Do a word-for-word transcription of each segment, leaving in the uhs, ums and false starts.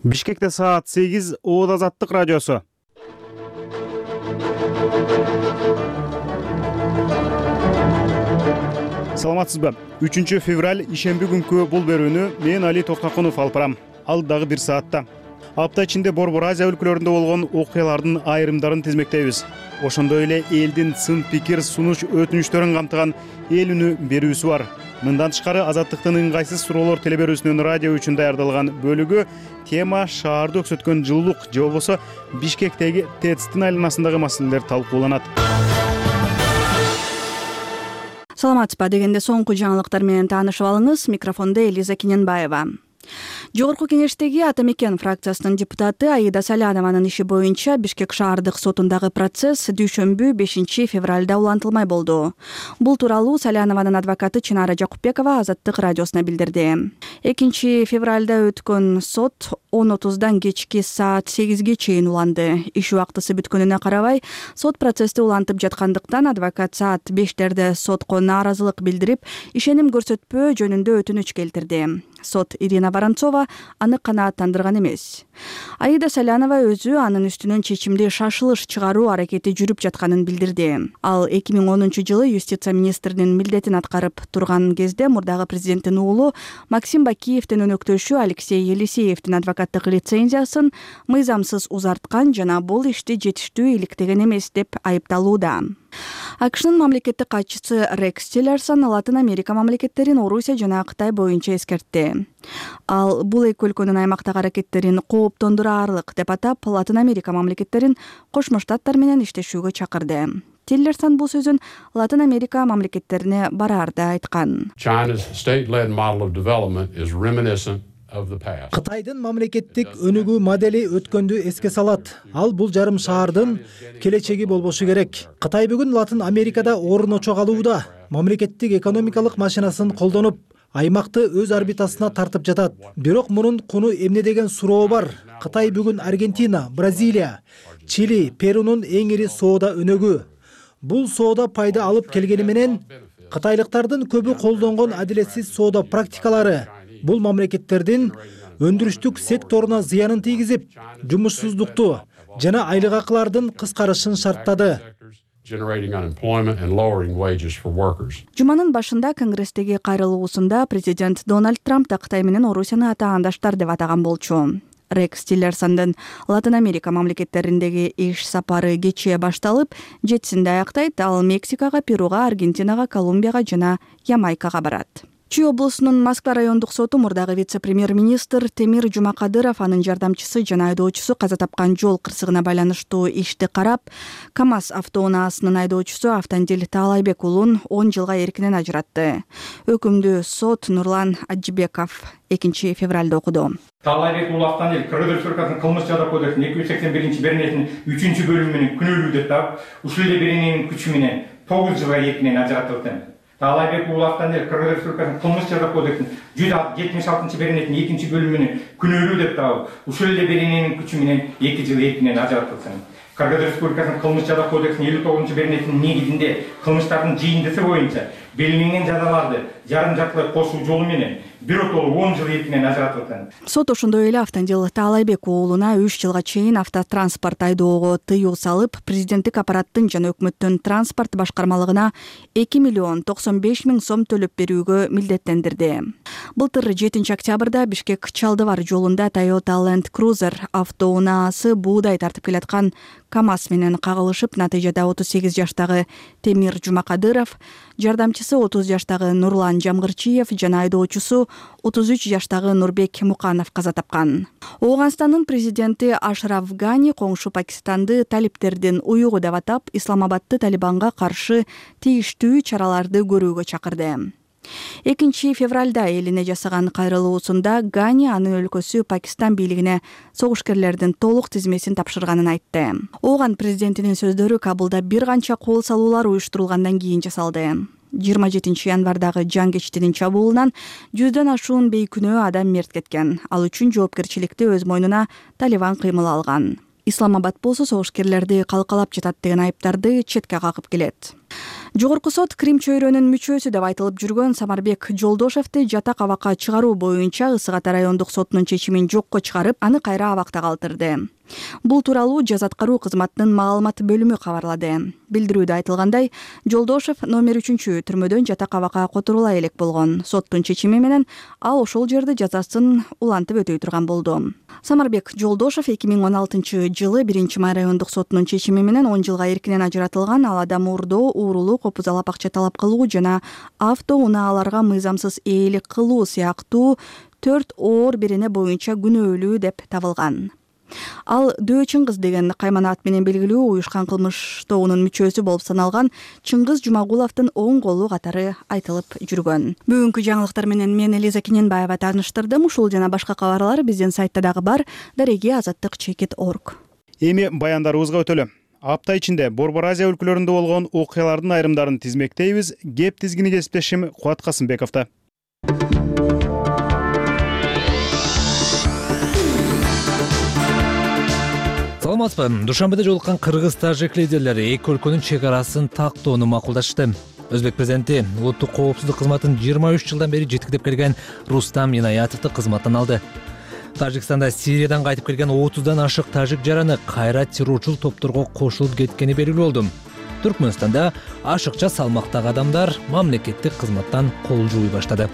Бишкекте саат сегиз, Ооз Азаттык радиосу. Саламатсызбы? үчүнчү февраль ишемби күнкү бул берүүнү мен Али Токтокунов алып барам. Ал дагы бир саатта. Апта ичинде Борбор Азия өлкөлөрүндө болгон окуялардын айрымдарын тизмектейбиз. Ошондой эле элдин сын пикир сунуш өтүнүчтөрүн камтыган эл үнү берүүсү бар. Мындан тышкары Азаттыктын ыңгайсыз суроолор телеберүүсүнүн радио үчүн даярдалган бөлүгү тема шаарды өксөткөн жылуулук же болбосо Бишкектеги ТЭЦтин айланасындагы маселелер талкууланат. Саламатсызбы дегенде соңку жаңылыктар менен таанышып алыңыз. Микрофондо Элиза Кененбаева. Жогорку кеңештеги Ата Мекен фракциясынын депутаты Аида Салянованын иши боюнча Бишкек шаардык сотундагы процесс дүйшөмбү бешинчи февралда улантылмай болду. Бул тууралуу Салянованын адвокаты Чынара Жакупбекова Азаттык радиосуна билдирди. экинчи февралда өткөн сот он отуздан кечки саат сегизге чейин уланды. Иш убактысы бүткөнүнө карабай, сот процессти улантып жаткандыктан адвокат саат бештерде сотко нааразылык билдирип, ишеним көрсөтпөө жөнүндө өтүнүч келтирди. Сот Ирина Воронцова аны канааттандырган эмес. Аида Салянова өзү анын үстүнөн чечимди шашылыш чыгаруу аракети жүрүп жатканын билдирди. Ал эки миң онунчу жылы юстиция министринин милдетин аткарып турган кезде мурдагы президенттин уулу Максим Бакиевдин өнөктөшү Алексей Елисеевдин адвокаттык лицензиясын мыйзамсыз узарткан жана бул ишти жетиштүү иликтеген эмес деп айыпталууда. АКШнын мамлекеттик катчысы Рекс Тиллерсон Латын Америка мамлекеттерин Орусия жана Кытай боюнча эскертти. Ал бул эки өлкөнүн аймактагы аракеттерин кооптондураарлык деп атап, Латын Америка мамлекеттерин Кошмо Штаттар менен иштешүүгө чакырды. Тиллерсон бул сөзүн Латын Америка мамлекеттерине бараарда айткан. Кытайдын мамлекеттик өнүгүү модели өткөндү эске салат. Ал бул жарым шаардын келечеги болбошу керек. Кытай бүгүн Латын Америкада орун очо калууда. Мамлекеттик экономикалык машинасын колдонуп, аймакты өз орбитасына тартып жатат. Бирок мунун куну эмне деген суроо бар. Кытай бүгүн Аргентина, Бразилия, Чили, Перунун эң ири соода өнөгү. Бул соода пайда алып келгени менен кытайлыктардын көбү колдонгон адилетсиз соода практикалары бул мамлекеттердин өндүрүштүк секторуна зыянын тийгизип, жумушсуздукту жана айлык акылардын кыскарышын шарттады. Жуманын башында Конгресстеги кайрылуусунда президент Дональд Трамп да Кытай менен Орусияны атаандаштар деп атаган болчу. Рекс Тиллерсондун Латын Америка мамлекеттериндеги иш сапары кечээ башталып, жетисинде аяктайт. Ал Мексикага, Перуга, Аргентинага, Колумбияга жана Ямайкага барат. Чүй облусунун Москва райондук соту мурдагы вице-премьер-министр Темир Жумакадыров, анын жардамчысы жана айдоочусу каза тапкан жол кырсыгына байланыштуу ишти карап, КамАЗ автоунаасынын айдоочусу Автандил Таалайбек уулун он жылга эркинен ажыратты. Өкүмдү сот Нурлан Аджибеков экинчи февралда окуду. Таалайбек уулу Автандил Кыргыз Республикасынын кылмыш жада кодексинин эки жүз сексен биринчи беренесинин үчүнчү бөлүмү менен күнөөлүү деп таап, ушул эле берененин күчү менен тогуз жылга эркинен ажыратылды. Таалайбек уулу Автандил Кыргыз Республикасынын кылмыш жада кодексинин жүз жетимиш алтынчы беренесинин экинчи бөлүмү менен күнөөлүү деп таап, ушул эле берененин күчү менен эки жыл эркинен ажыратылсын. Кыргыз Республикасынын кылмыш жада кодексинин элүү тогузунчу беренесинин негизинде кылмыштардын жыйындысы боюнча белгиленген жазаларды жарым жартылай кошуу жолу менен биротолуу он жыл эркинен ажыратылган. Сот ошондой эле Автандил Таалайбек уулуна үч жылга чейин автотранспорт айдоого тыюу салып, президенттик аппараттын жана өкмөттүн транспорт башкармалыгына эки миллион токсон беш миң сом төлөп берүүгө милдеттендирди. Былтыр жетинчи октябрда Бишкек Чалдыбар жолунда Toyota Land Cruiser автоунаасы буудай тартып келаткан КамАЗ менен кагылышып, натыйжада отуз сегиз жаштагы Темир Жумакадыров, жардамчысы отуз жаштагы Нурлан Жамгырчиев жана айдоочусу отуз үч жаштагы Нурбек Муканов каза тапкан. Ооганстандын президенти Ашраф Гани коңшу Пакистанды талиптердин уюгу деп атап, Исламабадты Талибанга каршы тийиштүү чараларды көрүүгө чакырды. экинчи февралда элине жасаган кайрылуусунда Гани анын өлкөсү Пакистан бийлигине согушкерлердин толук тизмесин тапшырганын айтты. Ооган президентинин сөздөрү Кабулда бир канча кол салуулар уюштурулгандан кийин жасалды. жыйырма жетинчи январдагы жан-кечтинин чабуулунан жүздөн ашуун бейкүнөө адам мерт кеткен. Ал үчүн жоопкерчиликти өз мойнуна Талибан кыймыл алган. Исламабад болсо согушкерлерди калкалап жатат деген айыптарды четке какып келет. Жогорку сот Крим чөйрөнүн мүчөсү деп айтылып жүргөн Самарбек Жолдошевди жатак абакка чыгаруу боюнча Ысык Ата райондук сотунун чечимин жокко чыгарып, аны кайра абакта калтырды. Бул тууралуу жаза аткаруу кызматынын маалымат бөлүмү кабарлады. Билдирүүдө айтылгандай, Жолдошев номер үчүнчү түрмөдөн жатак абакка которула элек болгон. Соттун чечими менен ал ошол жерде жазасын улантып өтөй турган болду. Самарбек Жолдошев эки миң он алтынчы жылы биринчи май райондук сотунун чечими менен он жылга эркинен ажыратылган. Ал адам уурдоо, уурулуу, копузалап акча талап кылуу жана автоунааларга мыйзамсыз ээлик кылуу сыяктуу төрт оор берене боюнча күнөөлүү деп табылган. Ал Дөө Чыңгыз деген каймана ат менен белгилүү уюшкан кылмыш тобунун мүчөсү болуп саналган Чыңгыз Жумагуловдун оң колу катары айтылып жүргөн. Бүгүнкү жаңылыктар менен мен Элиза Кененбаева тааныштырдым. Ушул жана башка кабарлар биздин сайтта дагы бар. Дареги азаттык чекит точка орг. Эми баяндарыбызга өтөлү. Апта ичинде Борбор Азия өлкөлөрүндө болгон окуялардын айрымдарын тизмектейбиз. Кеп тизгини кесиптешим Кубат Касымбековдо. Саламатсызбы? Душанбеде жолуккан кыргыз-тажик лидерлери эки өлкөнүн чек арасын тактоону макулдашты. Өзбек президенти улуттук коопсуздук кызматын жыйырма үч жылдан бери жетектеп келген Рустам Инаятовду кызматтан алды. Тажикстанда Сириядан кайтып келген отуздан ашык тажик жараны кайра террорчул топторго кошулуп кеткени белгилүү болду. Түркмөнстанда ашыкча салмактагы адамдар мамлекеттик кызматтан кол жууй баштады.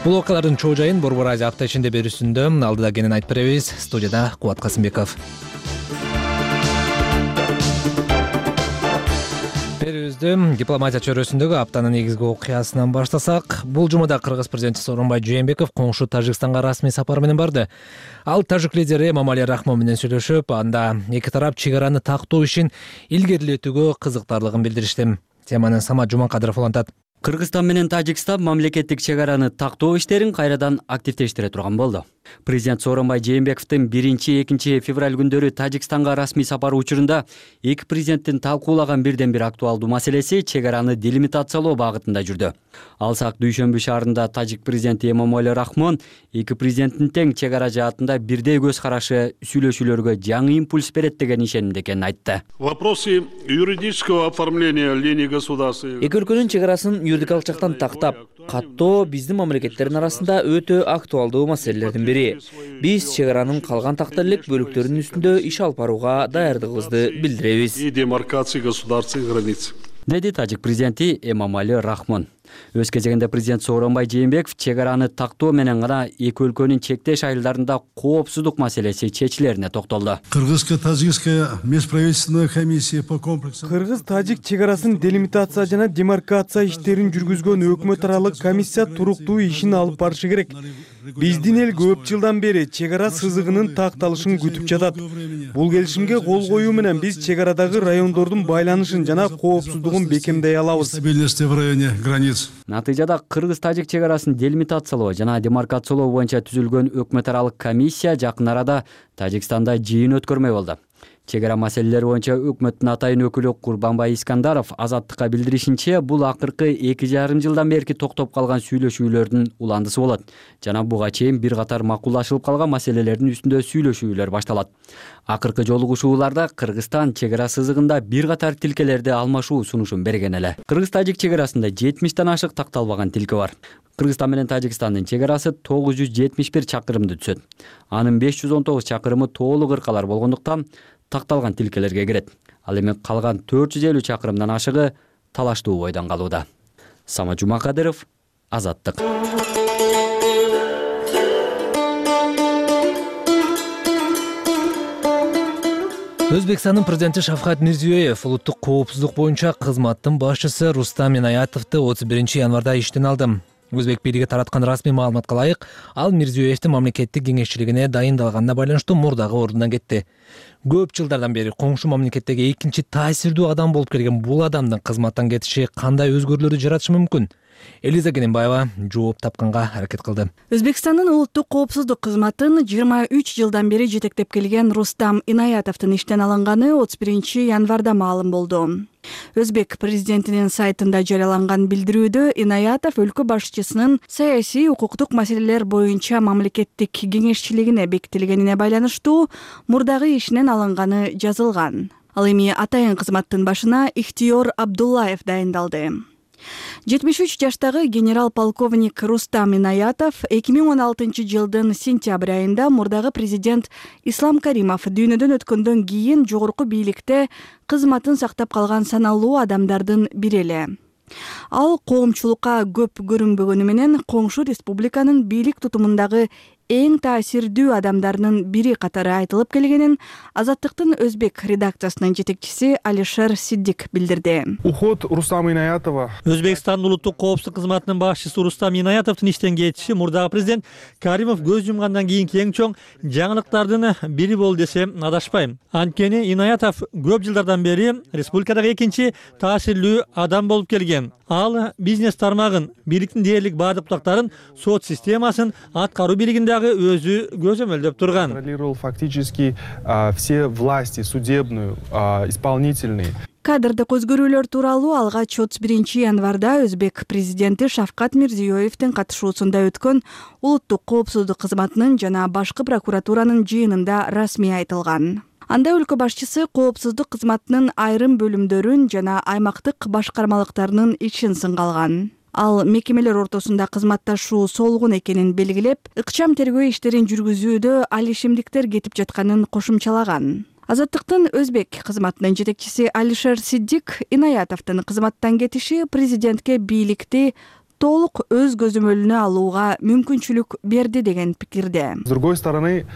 Бул окуялардын чоо жайын Борбор Азия апта ичинде берүүсүндө алдыда кенен айтып беребиз. Студияда Кубат Касымбеков. Берүүбүздү дипломатия чөйрөсүндөгү аптанын негизги окуясынан баштасак, бул жумада кыргыз президенти Сооронбай Жээнбеков коңшу Тажикстанга расмий сапар менен барды. Ал тажик лидери Эмомали Рахмон менен сүйлөшүп, анда эки тарап чек араны тактоо ишин илгерилетүүгө кызыктарлыгын билдиришти. Теманы Самат Жуманкадыров улантат. Кыргызстан менен Тажикстан мамлекеттик чек араны тактоо иштерин кайрадан активдештире турган болду. Президент Сооронбай Жээнбековдун биринчи экинчи февраль күндөрү Тажикстанга расмий сапары учурунда эки президенттин талкуулаган бирден бир актуалдуу маселеси чек араны делимитациялоо багытында жүрдү. Алсак Дүйшөмбү шаарында тажик президенти Эмомали Рахмон эки президенттин тең чек ара жаатында бирдей көз карашы сүйлөшүүлөргө жаңы импульс берет деген ишенимде экенин айтты. Вопросы юридического оформления линии государства. Эки өлкөнүн чек арасын юридикалык жактан тактап, каттоо биздин мамлекеттердин арасында өтө актуалдуу маселелердин бири. Биз чек аранын калган такта элек бөлүктөрүнүн үстүндө иш алып барууга даярдыгыбызды билдиребиз. И демаркации государственных границ. Деди тажик президенти Эмомали Рахмон. Өз кезегинде президент Сооронбай Жээнбеков чек араны тактоо менен гана эки өлкөнүн чектеш айылдарында коопсуздук маселеси чечилерине токтолду. Кыргызско-тажикская межправительственная комиссия по комплексу. Кыргыз-тажик чек арасын делимитация жана демаркация иштерин жүргүзгөн өкмөт аралык комиссия туруктуу ишин алып барышы керек. Биздин эл көп жылдан бери чек ара сызыгынын такталышын күтүп жатат. Бул келишимге кол коюу менен биз чек арадагы райондордун байланышын жана коопсуздугун бекемдей алабыз. Стабильности в районе границ. Натыйжада кыргыз-тажик чек арасын делимитациялоо жана демаркациялоо боюнча түзүлгөн өкмөт аралык комиссия жакын арада Тажикстанда жыйын өткөрмөй болду. Чек ара маселелери боюнча өкмөттүн атайын өкүлү Курбанбай Искандаров Азаттыкка билдиришинче, бул акыркы эки жарым жылдан берки токтоп калган сүйлөшүүлөрдүн уландысы болот. Жана буга чейин бир катар макулдашылып калган маселелердин үстүндө сүйлөшүүлөр башталат. Акыркы жолугушууларда Кыргызстан чек ара сызыгында бир катар тилкелерди алмашуу сунушун берген эле. Кыргыз-тажик чек арасында жетимиштен ашык такталбаган тилке бар. Кыргызстан менен Тажикстандын чек арасы тогуз жүз жетимиш бир чакырымды түзөт. Анын беш жүз он тогуз чакырымы тоолук ыркалар болгондуктан такталган тилкелерге кирет. Ал эми калган төрт жүз элүү чакырымдан ашыгы талаштуу бойдон калууда. Самат Жумакадыров, Азаттык. Өзбекстандын президенти Шавкат Мирзиёев улуттук коопсуздук боюнча кызматтын башчысы Рустам Инаятовду отуз биринчи январда иштен алды. Өзбек бийлиги тараткан расмий маалыматка ылайык, ал Мирзиёевдин мамлекеттик кеңешчилигине дайындалганына байланыштуу мурдагы ордунан кетти. Көп жылдардан бери коңшу мамлекеттеги экинчи таасирдүү адам болуп келген бул адамдын кызматтан кетиши кандай өзгөрүүлөрдү жаратышы мүмкүн? Элиза Кененбаева жооп тапканга аракет кылды. Өзбекстандын улуттук коопсуздук кызматын жыйырма үч жылдан бери жетектеп келген Рустам Инаятовдун иштен алынганы отуз биринчи январда маалым болду. Өзбек президентинин сайтында жарыяланган билдирүүдө Инаятов өлкө башчысынын саясий укуктук маселелер боюнча мамлекеттик кеңешчилигине бекитилгенине байланыштуу мурдагы ишинен алынганы жазылган. Ал эми атайын кызматтын башына Ихтиёр Абдуллаев дайындалды. жетимиш үч жаштагы генерал-полковник Рустам Инаятов эки миң он алтынчы жылдын сентябрь айында мурдагы президент Ислам Каримов дүйнөдөн өткөндөн кийин жогорку бийликте кызматын сактап калган саналуу адамдардын бири эле. Ал коомчулукка көп көрүнбөгөнү менен коңшу республиканын бийлик тутумундагы эң таасирдүү адамдарынын бири катары айтылып келгенин Азаттыктын өзбек редакциясынын жетекчиси Алишер Сиддик билдирди. Уход Рустама Инаятова. Өзбекстандын улуттук коопсуздук кызматынын башчысы Рустам Инаятовдун иштен кетиши мурдагы президент Каримов көз жумгандан кийинки эң чоң жаңылыктардын бири болду десем адашпайм. Анткени Инаятов көп жылдардан бери республикадагы экинчи таасирлүү адам болуп келген. Ал бизнес тармагын, бийликтин дээрлик баардык бутактарын, сот системасын, аткаруу бийлигиндагы өзү көзөмөлдөп турган. Контролировал фактически все власти, судебную, исполнительные. Кадрдык өзгөрүүлөр тууралуу алгач отуз биринчи январда өзбек президенти Шавкат Мирзиёевдин катышуусунда өткөн улуттук коопсуздук кызматынын жана башкы прокуратуранын жыйынында расмий айтылган. Анда өлкө башчысы коопсуздук кызматынын айрым бөлүмдөрүн жана аймактык башкармалыктарынын ишин сынгалган. Ал мекемелер ортосунда кызматташуу солгун экенин белгилеп, ыкчам тергөө иштерин жүргүзүүдө алишимдиктер кетип жатканын кошумчалаган. Азаттыктын өзбек кызматынын жетекчиси Алишер Сиддик Инаятовдун кызматтан кетиши президентке бийликти толук өз көзөмөлүнө алууга мүмкүнчүлүк берди деген пикирде. С другой стороны,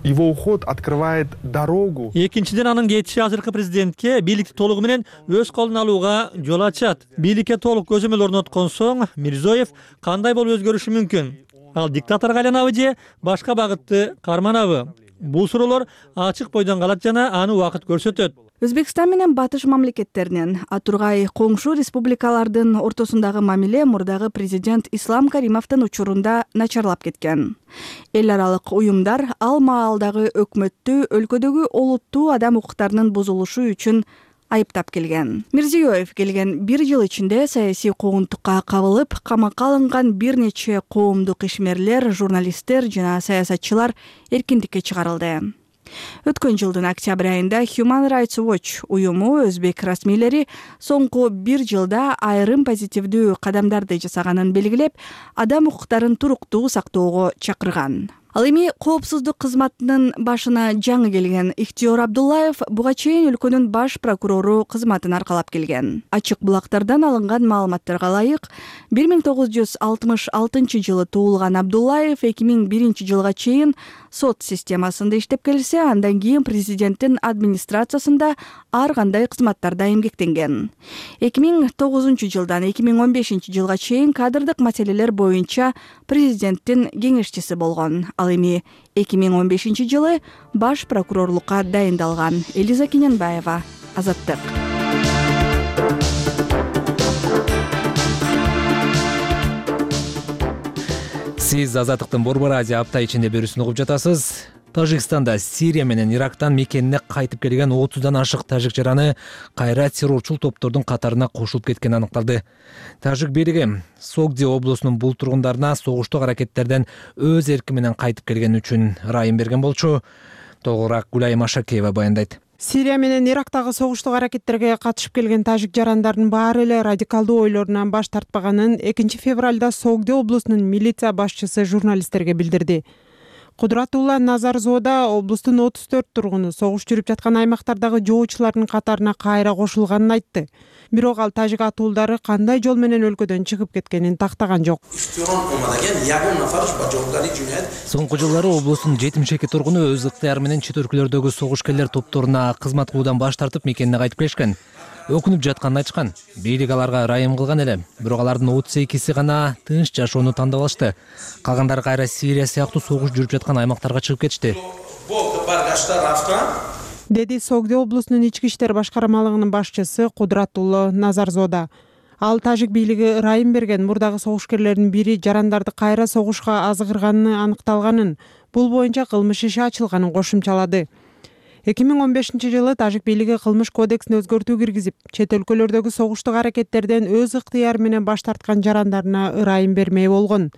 его уход открывает дорогу. Экинчиден анын кетиши азыркы президентке бийликти толугу менен өз колуна алууга жол ачат. Бийликке толук көзөмөл орноткон соң Мирзиёев кандай болуп өзгөрүшү мүмкүн? Ал диктаторго айланабы же башка багытты карманабы? Бул суроолор ачык бойдон калат жана аны убакыт көрсөтөт. Өзбекстан менен батыш мамлекеттеринин, а тургай коңшу республикалардын ортосундагы мамиле мурдагы президент Ислам Каримовдун учурунда начарлап кеткен. Эл аралык уюмдар ал маалдагы өкмөттү өлкөдөгү олуттуу адам укуктарынын бузулушу үчүн айыптап келген. Мирзиёев келген бир жыл ичинде саясий куугунтукка кабылып, камакка алынган бир нече коомдук ишмерлер, журналисттер жана саясатчылар эркиндикке чыгарылды. Өткөн жылдын октябрь айында Human Rights Watch уюму өзбек расмийлери соңку бир жылда айрым позитивдүү кадамдарды жасаганын белгилеп, адам укуктарын туруктуу сактоого чакырган. Ал эми коопсуздук кызматынын башына жаңы келген Ихтиёр Абдуллаев буга чейин өлкөнүн баш прокурору кызматын аркалап келген. Ачык булактардан алынган маалыматтарга ылайык, бир миң тогуз жүз алтымыш алтынчы жылы туулган Абдуллаев эки миң биринчи жылга чейин сот системасында иштеп келсе, андан кийин президенттин администрациясында ар кандай кызматтарда эмгектенген. эки миң тогузунчу жылдан эки миң он бешинчи жылга чейин кадрдык маселелер боюнча президенттин кеңешчиси болгон. Ал эми эки миң он бешинчи жылы баш прокурорлукка дайындалган. Элиза Кененбаева, Азаттык. Сиз Азаттыктын Борбор Азия апта ичинде берүүсүн угуп жатасыз. Тажикстанда Сирия менен Ирактан мекенине кайтып келген отуздан ашык тажик жараны кайра террорчул топтордун катарына кошулуп кеткени аныкталды. Тажик бийлиги Согди облусунун бул тургундарына согуштук аракеттерден өз эрки менен кайтып келгени үчүн ырайым берген болчу. Толугураак Гулай Машакеева баяндайт. Сирия менен Ирактагы согуштук аракеттерге катышып келген тажик жарандардын баары эле радикалдуу ойлорунан баш тартпаганын экинчи февралда Согди облусунун милиция башчысы журналисттерге билдирди. Кудратулла Назарзода облустун отуз төрт тургуну согуш жүрүп жаткан аймактардагы жоочулардын катарына кайра кошулганын айтты. Бирок ал тажик атуулдары кандай жол менен өлкөдөн чыгып кеткенин тактаган жок. Соңку жылдары облустун жетимиш эки тургуну өз ыктыяры менен чет өлкөлөрдөгү согушкерлер топторуна кызмат кылуудан баш тартып мекенине кайтып келишкен. Өкүнүп жатканын айтышкан. Бийлик аларга ырайым кылган эле. Бирок алардын отуз экиси гана тынч жашоону тандап алышты. Калгандары кайра Сирия сыяктуу согуш жүрүп жаткан аймактарга чыгып кетишти. Деди Согди облусунун ички иштер башкармалыгынын башчысы Кудратулла Назарзода. Ал тажик бийлиги ырайым берген мурдагы согушкерлердин бири жарандарды кайра согушка азгырганын аныкталганын, бул боюнча кылмыш иши ачылганын кошумчалады. эки миң он бешинчи жылы тажик бийлиги кылмыш кодексине өзгөртүү киргизип, чет өлкөлөрдөгү согуштук аракеттерден өз ыктыяры менен баш тарткан жарандарына ырайым бермей болгон.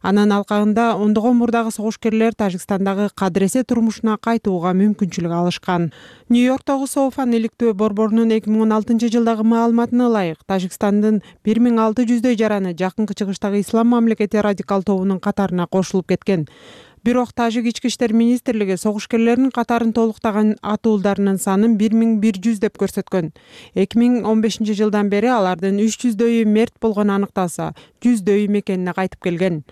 Анын алкагында ондогон мурдагы согушкерлер Тажикстандагы кадыресе турмушуна кайтууга мүмкүнчүлүк алышкан. Нью-Йорктогу Соуфан иликтөө борборунун эки миң он алтынчы жылдагы маалыматына ылайык, Тажикстандын бир миң алты жүздөй жараны жакынкы чыгыштагы ислам мамлекети радикал тобунун катарына кошулуп кеткен. Бирок Тажик ички иштер министрлиги согушкерлердин катарын толуктаган атуулдарынын санын бир миң бир жүз деп көрсөткөн. эки миң он бешинчи жылдан бери алардын үч жүздөйү мерт болгону аныкталса, жүздөйү мекенине кайтып келген.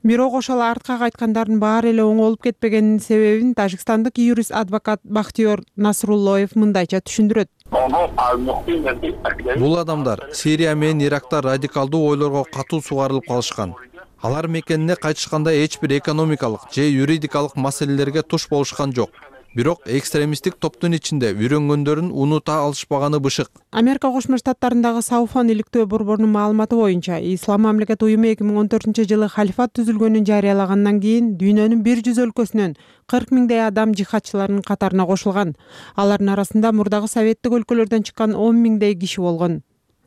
Бирок ошол артка кайткандардын баары эле оң болуп кетпегенинин себебин тажикстандык юрист адвокат Бахтиёр Насруллоев мындайча түшүндүрөт. Бул адамдар Сирия менен Иракта радикалдуу ойлорго катуу сугарылып калышкан. Алар мекенине кайтышканда эч бир экономикалык же юридикалык маселелерге туш болушкан жок. Бирок экстремисттик топтун ичинде үйрөнгөндөрүн унута алышпаганы бышык. Америка Кошмо Штаттарындагы Сауфан иликтөө борборунун маалыматы боюнча, Ислам мамлекет уюму эки миң он төртүнчү жылы халифат түзүлгөнүн жарыялагандан кийин дүйнөнүн бир жүз өлкөсүнөн кырк миңдей адам жихадчылардын катарына кошулган. Алардын арасында мурдагы советтик өлкөлөрдөн чыккан он миңдей киши болгон.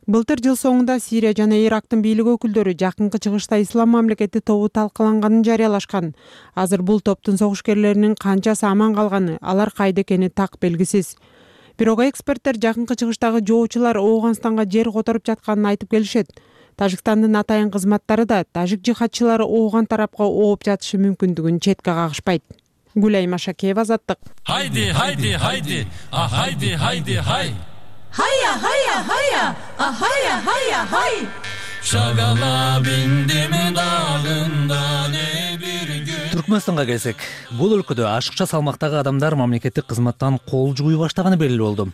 Былтыр жыл соңунда Сирия жана Ирактын бийлик өкүлдөрү жакынкы чыгышта Ислам мамлекети тобу талкаланганын жарыялашкан. Азыр бул топтун согушкерлеринин канчасы аман калганы, алар кайда экени так белгисиз. Бирок эксперттер жакынкы чыгыштагы жоочулар Ооганстанга жер которуп жатканын айтып келишет. Тажикстандын атайын кызматтары да тажик жихадчылары Ооган тарапка ооп жатышы мүмкүндүгүн четке кагышпайт. Гүлай Машакеева, Азаттык. Хайди, хайди, хайди, а хайди, хайди, хай. Hayya hayya hayya, ah hayya hayya hay. Şagala bindimi dağında ne bir gün. Түркмөнстанга келсек, бул өлкөдө ашыкча салмактагы адамдар мамлекеттик кызматтан кол жууй баштаганы белгилүү болду.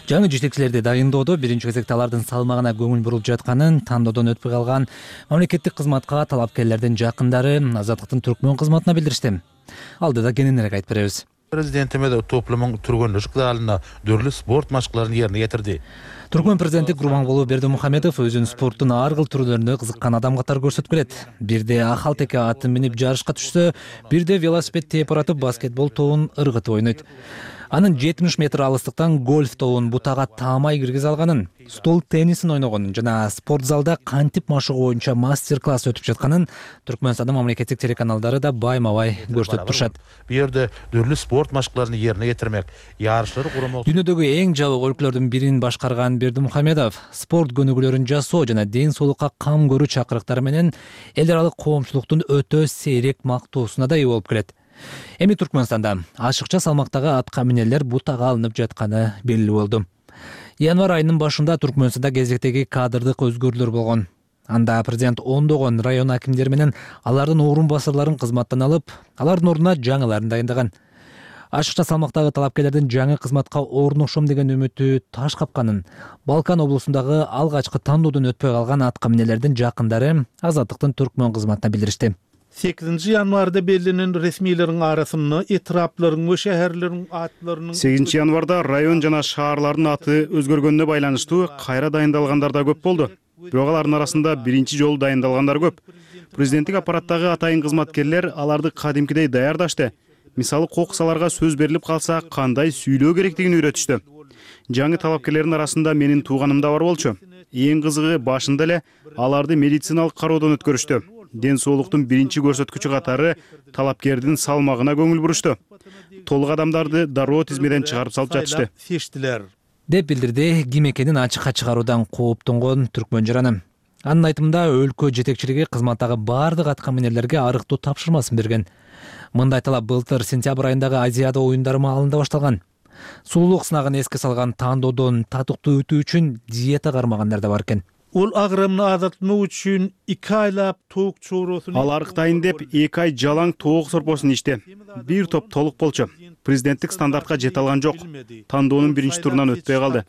Жаңы жетекчилерди дайындоодо биринчи кезекте алардын салмагына көңүл бурулуп жатканын тандоодон өтпөй калган мамлекеттик кызматка талапкерлердин жакындары Азаттыктын түркмөн кызматына билдиришти. Алдыда кененирээк айтып беребиз. Президентime de toplumun turgunluk dalına dörlü sport maçlarını yerine getirdi. Түркмөн президенти Гурбанголу Бердимухамедов өзүн спорттун ар кыл түрлөрүнө кызыккан адам катары көрсөтүп келет. Бирде ахал теке атын минип жарышка түшсө, бирде велосипед тээп баратып баскетбол тобун ыргытып ойнойт. Анын жетимиш метр алыстыктан гольф тобун бутага таамай киргизе алганын, стол теннисин ойногонун жана спорт залда кантип машыгуу боюнча мастер-класс өтүп жатканын Түркмөнстандын мамлекеттик телеканалдары да байма-бай көрсөтүп турушат. Bu yerde dörlü sport maçlarını yerine getirmek, yarışları kurmak. Дүйнөдөгү эң жабык өлкөлөрдүн бирин башкарган Бердимухамедов спорт көнүгүүлөрүн жасоо жана ден соолукка кам көрүү чакырыктары менен эл аралык коомчулуктун өтө сейрек мактоосуна да ээ болуп келет. Эми Түркмөнстанда ашыкча салмактагы атка минелер бутага алынып жатканы белгилүү болду. Январь айынын башында Түркмөнстанда кезектеги кадрдык өзгөрүүлөр болгон. Анда президент ондогон район акимдери менен алардын орун басарларын кызматтан алып, алардын ордуна жаңыларын дайындаган. Ашыкча салмактагы талапкерлердин жаңы кызматка орношом деген үмүтү таш капканын Балкан облусундагы алгачкы тандоодон өтпөй калган атка минелердин жакындары Азаттыктын түркмөн кызматына билдиришти. sekizinci yanvarda belirlenen resmilerin arasında etraplарын ve şehirlerin atlarının сегизинчи январда район жана шаарлардын аты өзгөргөнүнө байланыштуу кайра дайындалгандар да көп болду. Бирок алардын арасында биринчи жолу дайындалгандар көп. Президенттик аппараттагы атайын кызматкерлер аларды кадимкидей даярдашты. Мисалы кокусаларга сөз берилип калса кандай сүйлөө керектигин үйрөтүштү. Жаңы талапкерлердин арасында менин тууганым да бар болчу. Эң кызыгы башында эле аларды медициналык кароодон өткөрүштү. Ден соолуктун биринчи көрсөткүчү катары талапкердин салмагына көңүл бурушту. Толук адамдарды дароо тизмеден чыгарып салып жатышты. Деп билдирди ким экенин ачыкка чыгаруудан кооптонгон түркмөн жараны. Анын айтымында өлкө жетекчилиги кызматтагы бардык атка минерлерге арыктуу тапшырмасын берген. Мындай талап былтыр сентябрь айындагы Азиада оюндары маалында башталган. Сулуулук сынагын эске салган тандоодон татыктуу өтүү үчүн диета кармагандар да бар экен. Ol ağrımını azaltmak üçün iki aylap toğuk çoğrosunu... Ал арыктайын деп эки ай жалаң тоок сорпосун ичти. Бир топ толук болчу. Президенттик стандартка жете алган жок. Тандоонун биринчи турунан өтпөй калды.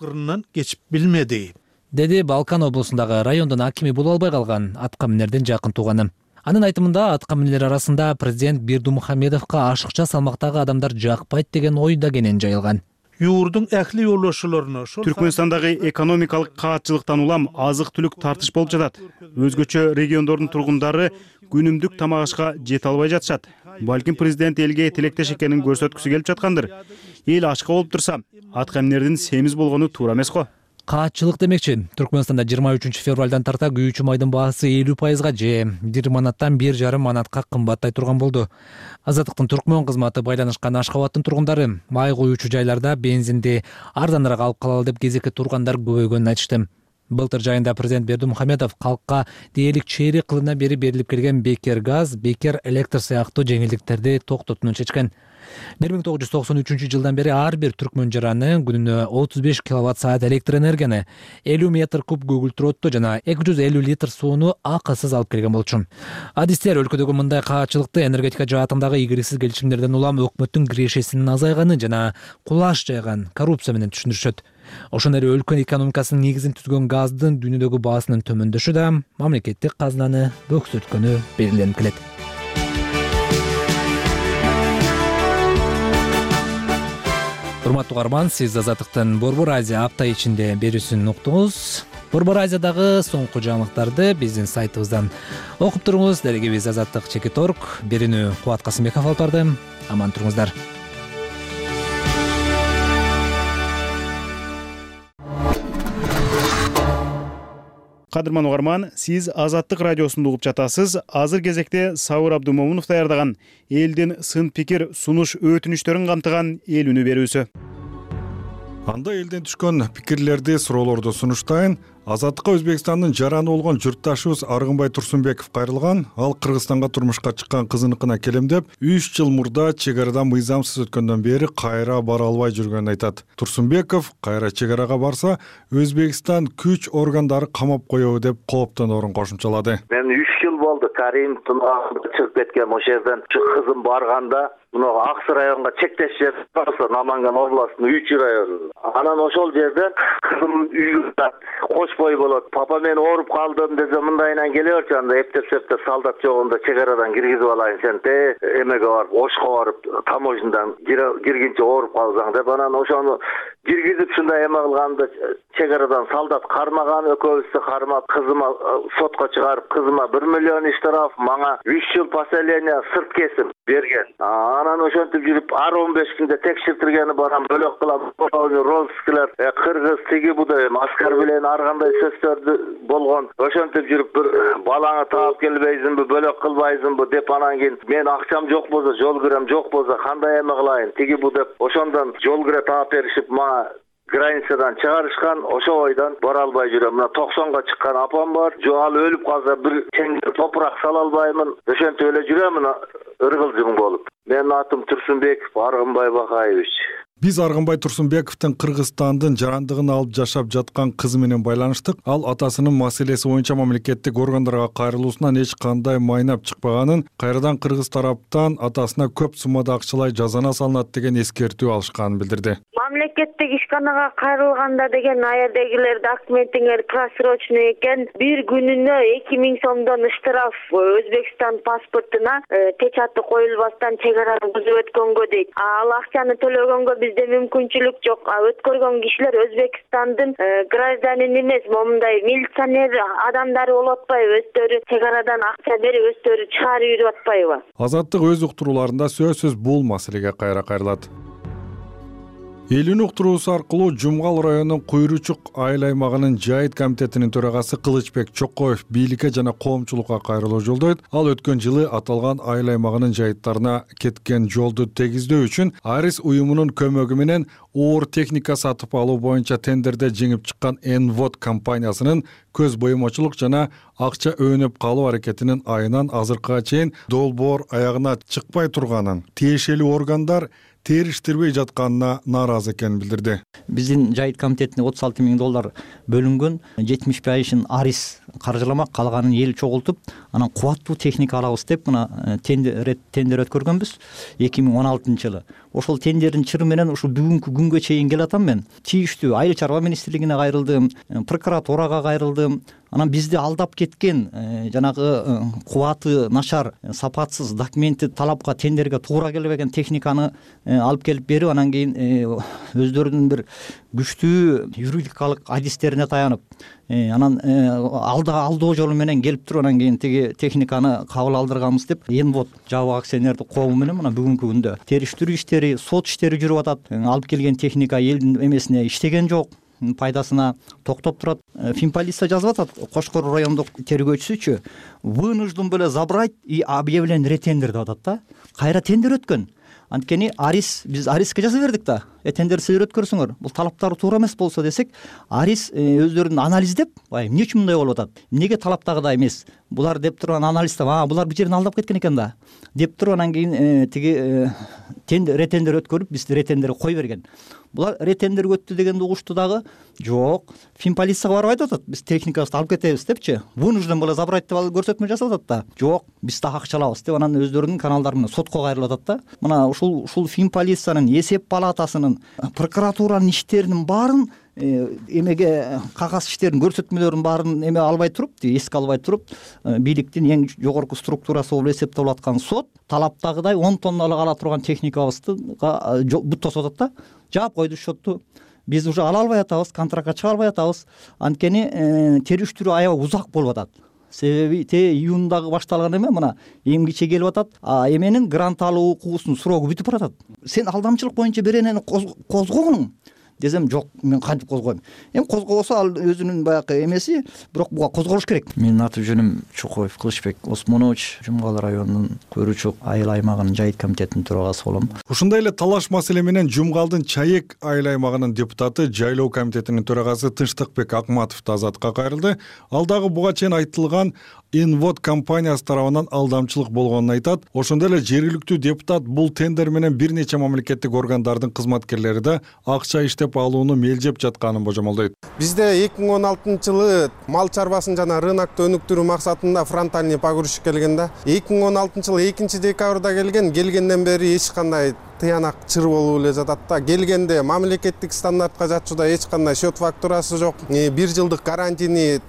Geçip bilmedi. Деди Балкан облусундагы райондун акими боло албай калган атка минердин жакын тууганы. Анын айтымында атка минелер арасында президент Бердимухамедовго ашыкча салмактагы адамдар жакпайт деген ой да кенен жайылган. Yurdun ähli yollaşılarına... Түркмөнстандагы экономикалык каатчылыктан улам азык-түлүк тартыш болуп жатат. Өзгөчө региондордун тургундары күнүмдүк тамак ашка жете албай жатышат. Балким президент элге тилектеш экенин көрсөткүсү келип жаткандыр. Эл ачка болуп турса, аткаминердин семиз болгону туура эмес го. Каатчылык демекчи. Түркмөнстанда жыйырма үчүнчү февралдан тарта күйүүчү майдын баасы элүү пайызга же бир манаттан бир жарым манатка кымбаттай турган болду. Азаттыктын Түркмөн кызматы байланышкан Ашхабадтын тургундары май куюучу жайларда бензинди арзаныраак алып калалы деп кезекке тургандар көбөйгөнүн айтышты. Былтыр жайында президент Бердимухамедов калкка дээрлик чейрек кылымдан бери берилип келген бекер газ, бекер электр сыяктуу жеңилдиктерди токтотууну чечкен. бир миң тогуз жүз токсон үчүнчү жылдан бери ар бир түркмөн жараны күнүнө отуз беш киловатт саат электр энергияны, элүү метр куб көгүлтүр отту жана эки жүз элүү литр сууну акысыз алып келген болчу. Адистер өлкөдөгү мындай каатчылыкты энергетика жаатындагы игериксиз келишимдерден улам өкмөттүн кирешесинин азайганы жана кулаш жайган коррупция менен түшүндүрүшөт. Ошондой эле өлкө экономикасынын негизин түзгөн газдын дүйнөдөгү баасынын төмөндөшү да мамлекеттик казынаны бөксөрткөнү белгиленип келет. Урматтуу угарман, сиз Азаттыктын Борбор Азия апта ичинде берүүсүн уктуңуз. Борбор Азиядагы соңку жаңылыктарды биздин сайтыбыздан окуп туруңуз. Дарегибиз Азаттык Чекит Орг, берүүнү Кубат Касымбеков алып барды. Аман туруңуздар. Кадырман угарман, сиз Азаттык радиосунду угуп жатасыз. Азыр кезекте Сабыр Абдумомунов даярдаган элдин сын пикир, сунуш, өтүнүчтөрүн камтыган эл үнү берүүсү. Анда элден түшкөн пикирлерди, суроолорду сунуштайын. Азаттыкка Өзбекстандын жараны болгон журтташыбыз Аргынбай Турсунбеков кайрылган. Ал Кыргызстанга турмушка чыккан кызыныкына келемдеп, үч жыл мурда чек арадан мыйзамсыз өткөндөн бери кайра бара албай жүргөнүн айтат. Турсунбеков кайра чек арага барса, Өзбекстан күч органдары камап коёбу деп кооптоноорун кошумчалады. Мен үч жыл болду Каримовдун чыгып кеткен ошол жерден кызым барганда, мына Аксы районго чектеш жер барса, Наманган областынын үч району. Анан ошол жерден кызым үйгө кошпой болот. Папа мен ооруп калдым десе, мындайынан келе берчи, анда эптеп-септеп солдат жогунда чек арадан киргизип алайын сен те эмеге барып, Ошко барып, таможнядан киргинче ооруп калсаң деп, анан ошону киргизип ушундай эме кылганда чек арадан солдат кармаган, экөөбүздү кармап, кызыма сотко чыгарып, кызыма бир миллион штраф, мага үч жыл поселение сырт кесим берген. Анан ошентип жүрүп, ар он беш күндө текшертиргени барам, бөлөк кылам, розыскалар, кыргыз тиги бу деп аскар менен ар кандай сөздөрдү болгон. Ошентип жүрүп, бир балаңы таап келбейсиңби, бөлөк кылбайсыңбы деп, анан кийин мен акчам жок болсо, жол кирем жок болсо кандай эме кылайын, тиги бу деп, ошондон жол кире таап беришип, мага границадан чыгарышкан. Ошо ойдон бара албай жүрөм. Мына токсонго чыккан апам бар. Жо ал өлүп калса бир теңир топурак сала албаймын. Ошентип эле жүрөм, мына ыргылжың болуп. Менин атым Турсунбеков Аргынбай Бакаевич. Биз Аргынбай Турсунбековдун Кыргызстандын жарандыгын алып жашап жаткан кызы менен байланыштык. Ал атасынын маселеси боюнча мамлекеттик органдарга кайрылуусунан эч кандай майнап чыкпаганын, кайрадан кыргыз тараптан атасына көп суммада акчалай жазана салынат деген эскертүү алышканын билдирди. Мамлекеттик ишканага кайрылганда деген аердегилер документиңер просрочный экен, бир күнүнө эки миң сомдон штраф Өзбекстан паспортуна печаты коюлбастан чек араны бузуп өткөнгө дейт. Ал акчаны төлөгөнгө бизде мүмкүнчүлүк жок. Өткөргөн кишилер Өзбекстандын гражданин эмес, момундай милиционер адамдары болуп атпайбы? Өздөрү чек арадан акча берип, өздөрү чыгарып жүрүп атпайбы? Азаттык өз уктурууларында сөзсүз бул маселеге кайра кайрылат. Элүүнү уктуруусу аркылуу Жумгал районунун Куйручук айыл аймагынын жайыт комитетинин төрагасы Кылычбек Чокоев бийликке жана коомчулукка кайрылуу жолдойт. Ал өткөн жылы аталган айыл аймагынын жайыттарына кеткен жолду тегиздөө үчүн Арис уюмунун көмөгү менен оор техника сатып алуу боюнча тендерде жеңип чыккан Энвод компаниясынын көз боемочулук жана акча өөнөп калуу аракетинин айынан азыркыга чейин долбоор аягына чыкпай турганын, тиешелүү органдар териштирбей жатканына нааразы экенин билдирди. Биздин жайыт комитетине отуз алты миң доллар бөлүнгөн, жетимиш пайызын Арис каржыламак, калганын эл чогултуп, анан кубаттуу техника алабыз деп мына тендер тендер өткөргөнбүз эки миң он алтынчы жылы. Ошол тендердин чыры менен ушул бүгүнкү күнгө чейин келатам мен. Тийиштүү айыл чарба министрлигине кайрылдым, прокуратурага кайрылдым. Анан бизди алдап кеткен жанагы кубаты начар, сапатсыз документи талапка, тендерге туура келбеген техниканы алып келип берип, анан кийин өздөрүнүн бир күчтүү юридикалык адистерине таянып, анан алдоо жолу менен келип туруп анан кийин тиги техниканы кабыл алдырганбыз деп Энвод жабык акционердик коому менен мына бүгүнкү күндө териштирүү иштери, сот иштери жүрүп атат. Алып келген техника элдин эмесине иштеген жок, пайдасына токтоп турат. Финполиция жазып атат, Кошкор райондук тергөөчүсүчү вынужден было забрать и объявлен ретендер деп атат да. Кайра тендер өткөн. Анткени Арис, биз Ариске жаза бердик да. Тендер силер өткөрсөңөр, бул талаптары туура эмес болсо десек, Арис өздөрүн анализдеп, бай эмне үчүн мындай болуп атат? Эмнеге талаптагыдай эмес? Булар деп турган анализдеп, а булар бир жерин алдап кеткен экен да. Деп туруп анан кийин тиги тендер ретендер өткөрүп, биз ретендерди кой берген. Булар ретендер өттү дегенди угушту дагы. Жок, Финполицияга барып айтып атат, биз техникабызды алып кетебиз депчи. Вынужден было забрать деп алып көрсөтмө жасап атат да. Жок, биз так акча алабыз деп анан өздөрүнүн каналдары менен сотко кайрылып атат да. Мына ушул ушул Финполициянын, Эсеп палатасынын, прокуратуранын иштеринин баарын эмеге кагаз иштерин, көрсөтмөлөрүнүн баарын эме албай туруп, эске албай туруп, бийликтин эң жогорку структурасы болуп эсептелип аткан сот талаптагыдай он тонналык ала турган техникабызды бут тосуп атат да. Жаап койду счетту. Биз уже ала албай атабыз, контрактка чыга албай атабыз. Анткени териштирүү аябай узак болуп атат. Себеби те июндагы башталган эме мына эмгиче келип атат. А эменин грант алуу укугусунун срогу бүтүп баратат. Сен алдамчылык боюнча беренени козгогуң десем, жок, мен кантип козгойм. Эми козгобосо ал өзүнүн баягы эмеси, бирок буга козголуш керек. Менин аты жөнүм Чукоев Кылычбек Осмонович, Жумгал районунун Көрүчүк айыл аймагынын жайыт комитетинин төрагасы болом. Ушундай эле талаш маселе менен Жумгалдын Чаек айыл аймагынын депутаты, жайлоо комитетинин төрагасы Тынчтыкбек Акматов да азатка кайрылды. Ал дагы буга чейин айтылган Энвод компаниясы тарабынан алдамчылык болгонун айтат. Ошондой эле жергиликтүү депутат бул тендер менен бир нече мамлекеттик органдардын кызматкерлери да акча иштеп алууну мелжеп жатканын божомолдойт. Бизде эки миң он алтынчы жылы мал чарбасын жана рынокто өнүктүрүү максатында фронтальный погрузчик келген да. эки миң он алтынчы жылы экинчи декабрда келген, келгенден бери эч кандай тыянак чыр болуп эле жатат да. Келгенде мамлекеттик стандартка жатчуда эч кандай счет фактурасы жок, бир жылдык гарантийный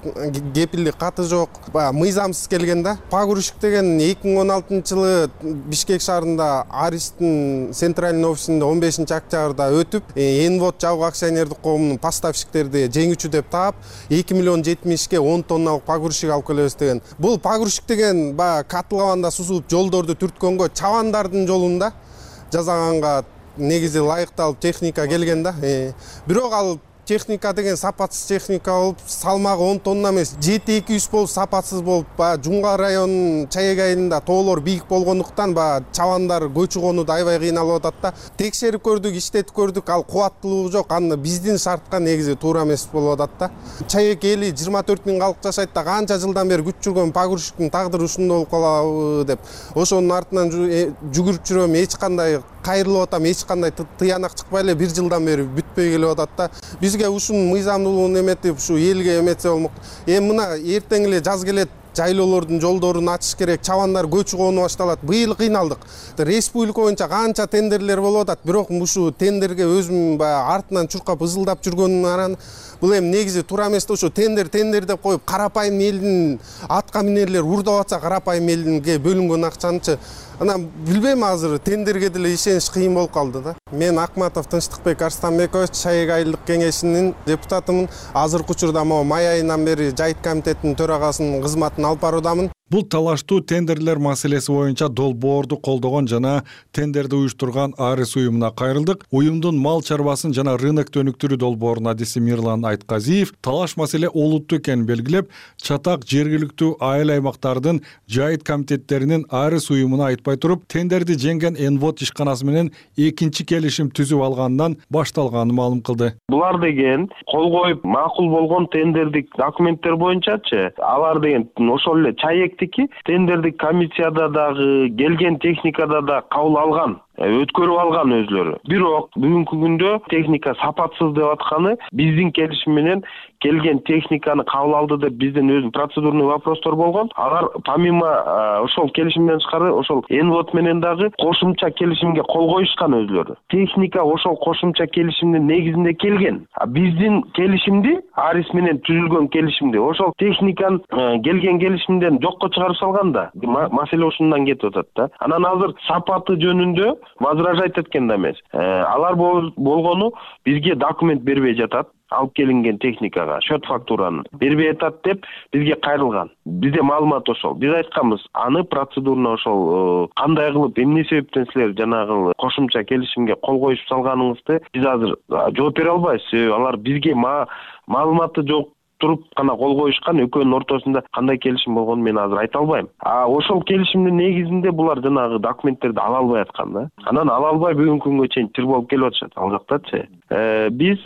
кепилдик каты жок, мыйзамсыз келген да. Погрузчик деген эки миң он алтынчы жылы Бишкек шаарында Аристин центральный офисинде он бешинчи октябрда өтүп, Энвод жабык акционердик коомунун поставщиктерди жеңүүчү деп таап, эки миллион жетимишке он тонналык погрузчик алып келебиз деген. Бул погрузчик деген баягы котлованда сузуп жолдорду түрткөнгө чабандардын жолунда жасаганга негизи ылайыкталып техника келген да. Бирок ал техника деген сапатсыз техника болуп, салмагы он тонна эмес, жети эки жүз болуп, сапатсыз болуп, баягы Жумгал районунун Чаек айылында тоолор бийик болгондуктан баягы чабандар көчү конууда аябай кыйналып атат да. Текшерип көрдүк, иштетип көрдүк, ал кубаттуулугу жок, аны биздин шартка негизи туура эмес болуп атат да. Чаек эли жыйырма төрт миң калк жашайт да, канча жылдан бери күтүп жүргөн погрузчиктин тагдыры ушундай болуп калабы деп. Ошонун артынан жүгүрүп жүрөм, эч кандай кайрылып атам, эч кандай тыянак чыкпай эле бир жылдан бери бүтпөй келип атат да. Бизге ушунун мыйзамдуулугун эметип, ушу элге эметсе болмок. Эми мына эртең эле жаз келет, жайлоолордун жолдорун ачыш керек, чабандар көчү конуу башталат. Быйыл кыйналдык. Республика боюнча канча тендерлер болуп атат, бирок ушу тендерге өзүм баягы артынан чуркап ызылдап жүргөнүн аран бул эми негизи туура эмес да. Ошо тендер тендер деп коюп, карапайым элдин атка минерлер урдап атса, карапайым элдинге бөлүнгөн акчанычы анан билбейм, азыр тендерге деле ишениш кыйын болуп калды да. Мен Акматов Тынчтыкбек Арстанбекович, Чаек айылдык кеңешинин депутатымын. Азыркы учурда могу май айынан бери жайыт комитетинин төрагасынын кызматын алып баруудамын. Бул талаштуу тендерлер маселеси боюнча долбоорду колдогон жана тендерди уюштурган Арис уюмуна кайрылдык. Уюмдун мал чарбасын жана рынокто өнүктүрүү долбоорунун адиси Мирлан Айтказиев талаш маселе олуттуу экенин белгилеп, чатак жергиликтүү айыл аймактардын жайыт комитеттеринин Арис уюмуна айтпай туруп, тендерди жеңген Энвод ишканасы менен экинчи келишим түзүп алгандан башталганын маалым кылды. Булар деген кол коюп макул болгон тендердик документтер боюнчачы, алар деген ошол эле Чаек тендердик комиссияда дагы келген техникада да кабыл алган, өткөрүп алган өзлөрү. Бирок бүгүнкү күндө техника сапатсыз деп атканы биздин келишим менен келген техниканы кабыл алды деп бизден өзү процедурный вопростор болгон. Алар помимо ошол келишимден тышкары ошол Энвод менен дагы кошумча келишимге кол коюшкан өзлөрү. Техника ошол кошумча келишимдин негизинде келген. А биздин келишимди, Арис менен түзүлгөн келишимди, ошол техниканын келген келишимден жокко чыгарып салган да. Маселе ушундан кетип атат да. Анан азыр сапаты жөнүндө возражать эткен да эмес. Алар болгону бизге документ бербей жатат. Алып келинген техникага счет фактураны бербей атат деп бизге кайрылган. Бизде маалымат ошол. Биз айтканбыз, аны процедурно ошол кандай кылып, эмне себептен силер жанагы кошумча келишимге кол коюп салганыңызды биз азыр жооп бере албайбыз. Себеби алар бизге маалыматы жок туруп гана кол коюшкан. Экөөнүн ортосунда кандай келишим болгонун мен азыр айта албайм. А ошол келишимдин негизинде булар жанагы документтерди ала албай аткан да. Анан ала албай бүгүнкү күнгө чейин тир болуп келип атышат ал жактачы. Биз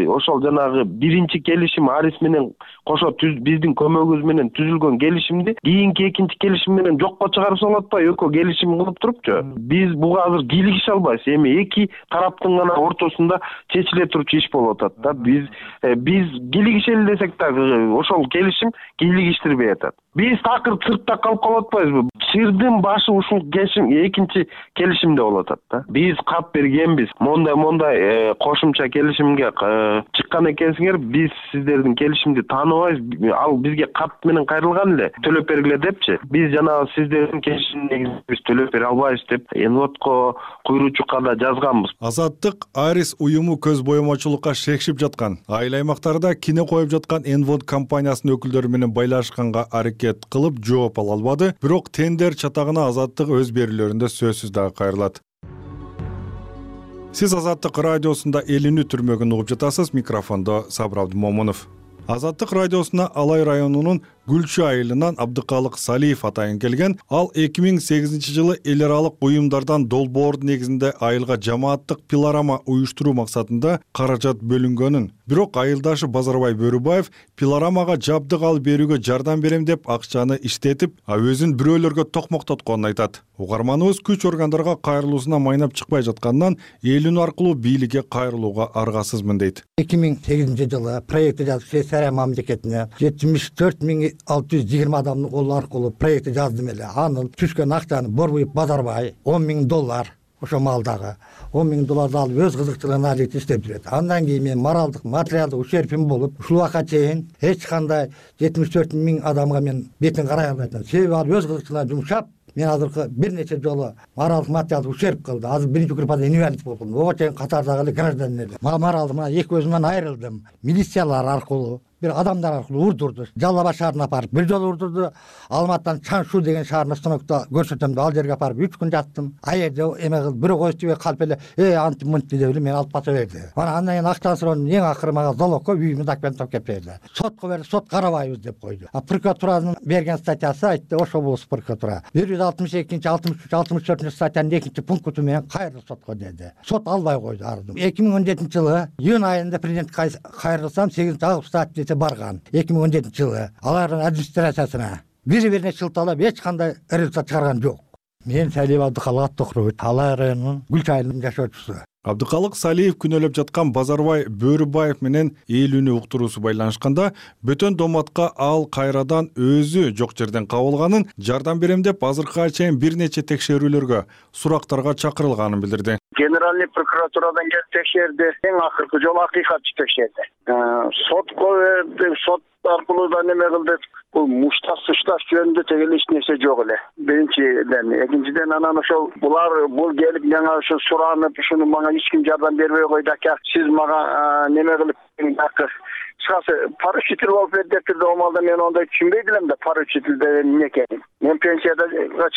ошол жанагы биринчи келишим Арис менен кошо биздин көмөгүбүз менен түзүлгөн келишимди кийинки экинчи келишим менен жокко чыгарып салып атпайбы, экөө келишим кылып турупчу. Биз буга азыр кийлигише албайбыз. Эми эки тараптын гана ортосунда чечиле турчу иш болуп атат да. Биз биз кийлигишели десек ошол келишим кийлигиштирбей атат. Биз такыр сыртта калып калып атпайбызбы? Чырдын башы ушул келишим экинчи келишимде болуп атат да. Биз кат бергенбиз. Мондай мондай кошумча келишимге чыккан экенсиңер, биз сиздердин келишимди тааныбайбыз. Ал бизге кат менен кайрылган эле. Төлөп бергиле депчи. Биз жанагы сиздердин келишимдин негизинде биз төлөп бере албайбыз деп Энводко куйруучукка да жазганбыз. Азаттык Арис уюму көз боемочулукка шекшип жаткан, айыл аймактарда кине коюп жаткан Энвод компаниясынын өкүлдөрү менен байлашканга аракет кылып жооп ала албады. Бирок тендер чатагына Азаттык өз берүүлөрүндө сөзсүз дагы кайрылат. Сиз Азаттык радиосунда Элинүү түрмөгүн угуп жатасыз. Микрофондо Сабыр Абдымомунов. Азаттык радиосуна Алай районунун Гүлчү айылынан Абдыкалык Салиев атайын келген. Ал эки миң сегизинчи жылы эл аралык уюмдардан долбоор негизинде айылга жамааттык пилорама уюштуруу максатында каражат бөлүнгөнүн, бирок айылдашы Базарбай Бөрүбаев пилорамага жабдык алып берүүгө жардам берем деп акчаны иштетип, а өзүн бирөөлөргө токмоктотконун айтат. Угарманыбыз күч органдарга кайрылуусуна майнап чыкпай жаткандан Элинүү аркылуу бийликке кайрылууга аргасызмын дейт. эки миң сегизинчи жылы проекти жазып Швейцария мамлекетине жетимиш төрт миң алты жүз жыйырма адамдын колу аркылуу проекти жаздым эле. Анын түшкөн акчаны Борбуев Базарбай он миң доллар ошо малдагы он миң долларды алып өз кызыкчылыгына алып иштеп жүрөт. Андан кийин мен моралдык, материалдык ущербим болуп, ушул убакка чейин эч кандай жетимиш төрт миң адамга мен бетин карай албайм. Себеби ал өз кызыкчылыгына жумшап, мен азыркы бир нече жолу моралдык, материалдык ущерб кылды. Азыр биринчи группада инвалид болдум. Ого чейин катардагы гражданин эле. Моралдык мына эки өзүмөн айрылдым. Милициялар аркылуу, бир адамдар аркылуу урдурду. Жалал Абад шаарына апарып бир жолу урдурду. Алматыдан Чаншу деген шаарына станокто көрсөтөм, ал жерге апарып үч күн жаттым. А жерде эме кылып бирөө койчубек калп эле, э анти мынти деп эле мени алып кача берди. Мана андан кийин акчаны сураган эң акыры мага залогко үйүмө документ алып келип берди. Сотко берди, сот карабайбыз деп койду. А прокуратуранын берген статьясы айтты, ошо болсо прокуратура бир жүз алтымыш экинчи, алтымыш үч, алтымыш төртүнчү статьянын экинчи пункту менен кайрыл сотко деди. Сот албай койду арды. эки миң он жетинчи жылы июнь айында президентке кайрылсам сегизинчи август статьясы барган. эки миң он жетинчи жылы алардын администрациясына бири бирине шылталап эч кандай результат чыгарган жок. Мен Салиев Абдыкалык Аттокурович, Алай районунун Гүлчү айылынын жашоочусу. Абдыкалык Салиев күнөөлөп жаткан Базарбай Бөрүбаев менен Элинүү уктуруусу байланышканда бөтөн доматка ал кайрадан өзү жок жерден кабылганын, жардам берем деп азыркыга чейин бир нече текшерүүлөргө, сурактарга чакырылганын билдирди. Генеральный прокуратурадан келип текшерди. Эң акыркы жолу акыйкатчы текшерди. Сотко берди, сот аркылуу да неме кылды. Бул мушташ сышташ жөнүндө тегеле эч нерсе жок эле. Биринчиден, экинчиден анан ошол булар бул келип мага ошо суранып, ушуну мага эч ким жардам бербей койду ака. Сиз мага неме кылып Шасы поручитель болуп берди деп турду. Омалда мен ондай түшүнбөй элем да поручитель деген эмне экенин. Мен пенсияда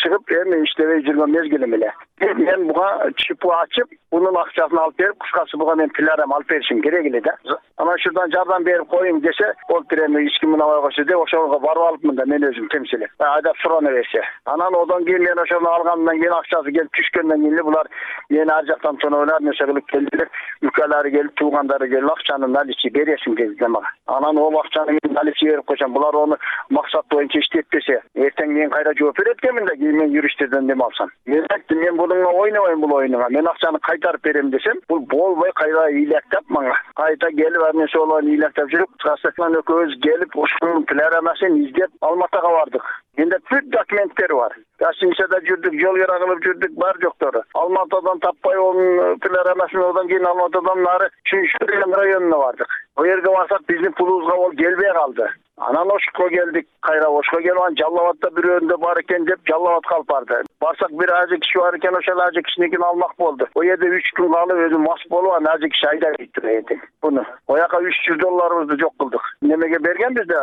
чыгып, эми иштебей жүргөн мезгилим эле. Мен буга чипу ачып, бунун акчасын алып берип, кыскасы буга мен пилорам алып беришим керек эле да. Анан шурдан жардам берип коюң десе, болуптур эми эч ким мынабай койсо деп ошого барып алыпмын да мен өзүм темсилеп. Айдап сурана берсе. Анан одан кийин мен ошону алгандан кийин акчасы келип түшкөндөн кийин булар мени ар жактан тоноолар нерсе кылып келдилер. Үкөлөрү келип, туугандары келип акчаны наличи бересиң dedi мага. Анан ол акчаны мен наличи берип койсом, булар ону максат боюнча иштетпесе, эртең мен кайра жооп берет экенмин да, кийин мен юристтерден неме алсам. Мен айттым, мен буга ойнобойм бул оюнуга. Мен акчаны кайтарып берем десем, бул болбой кайра ыйлактап мага. Кайта келип ар нерсе олорун ыйлактап жүрүп, кысасы экөөбүз келип ушунун пилорамасын издеп Алматыга бардык. Менде бүт документтер бар. Гостиницада жүрдүк, жол кыра кылып жүрдүк, бар жоктору. Алматыдан таппай онун пилорамасын, одан кийин Алматыдан нары Чүнчү деген районуна бардык. О жерге барсак биздин пулубузга ол келбей калды. Анан Ошко келдик, кайра Ошко келип анан Жалал Абадта бирөөнүндө бар экен деп Жалал Абадка алып барды. Барсак бир ажы киши бар экен, ошол ажы кишиникин алмак болду. О жерде үч күн калып өзү мас болуп анан ажы киши айдап кетти. Буну ояка үч жүз долларыбызды жок кылдык. Немеге бергенбиз да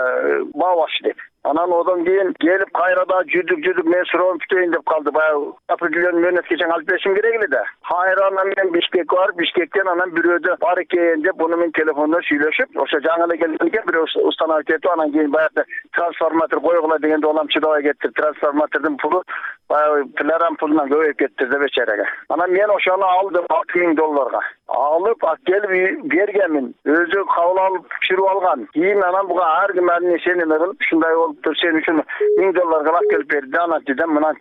баабаш деп. Анан одан кийин келип кайрада жүрдүк жүрдүк мен суроону күтөйүн деп калды. Баягы определенный мөөнөткө чейин алып беришим керек эле да. Кайра анан мен Бишкекке барып, Бишкектен анан бирөөдө бар экен деп муну мен телефондо сүйлөшүп, ошо жаңы эле келген экен бирөө установить этип, анан кийин баягы трансформатор койгула дегенде улам чыдабай кетти. Трансформатордун пулу баягы пиларам пулунан көбөйүп кетти да бечарага. Анан мен ошону алдым алты миң долларга. Алып келип бергенмин. Өзү кабыл алып чырып алган. Кийин анан буга ар ким эмнесени эме кылып, ушундай болуптур, сен үчүн миң долларга алып келип берди. Анан дедим, мынан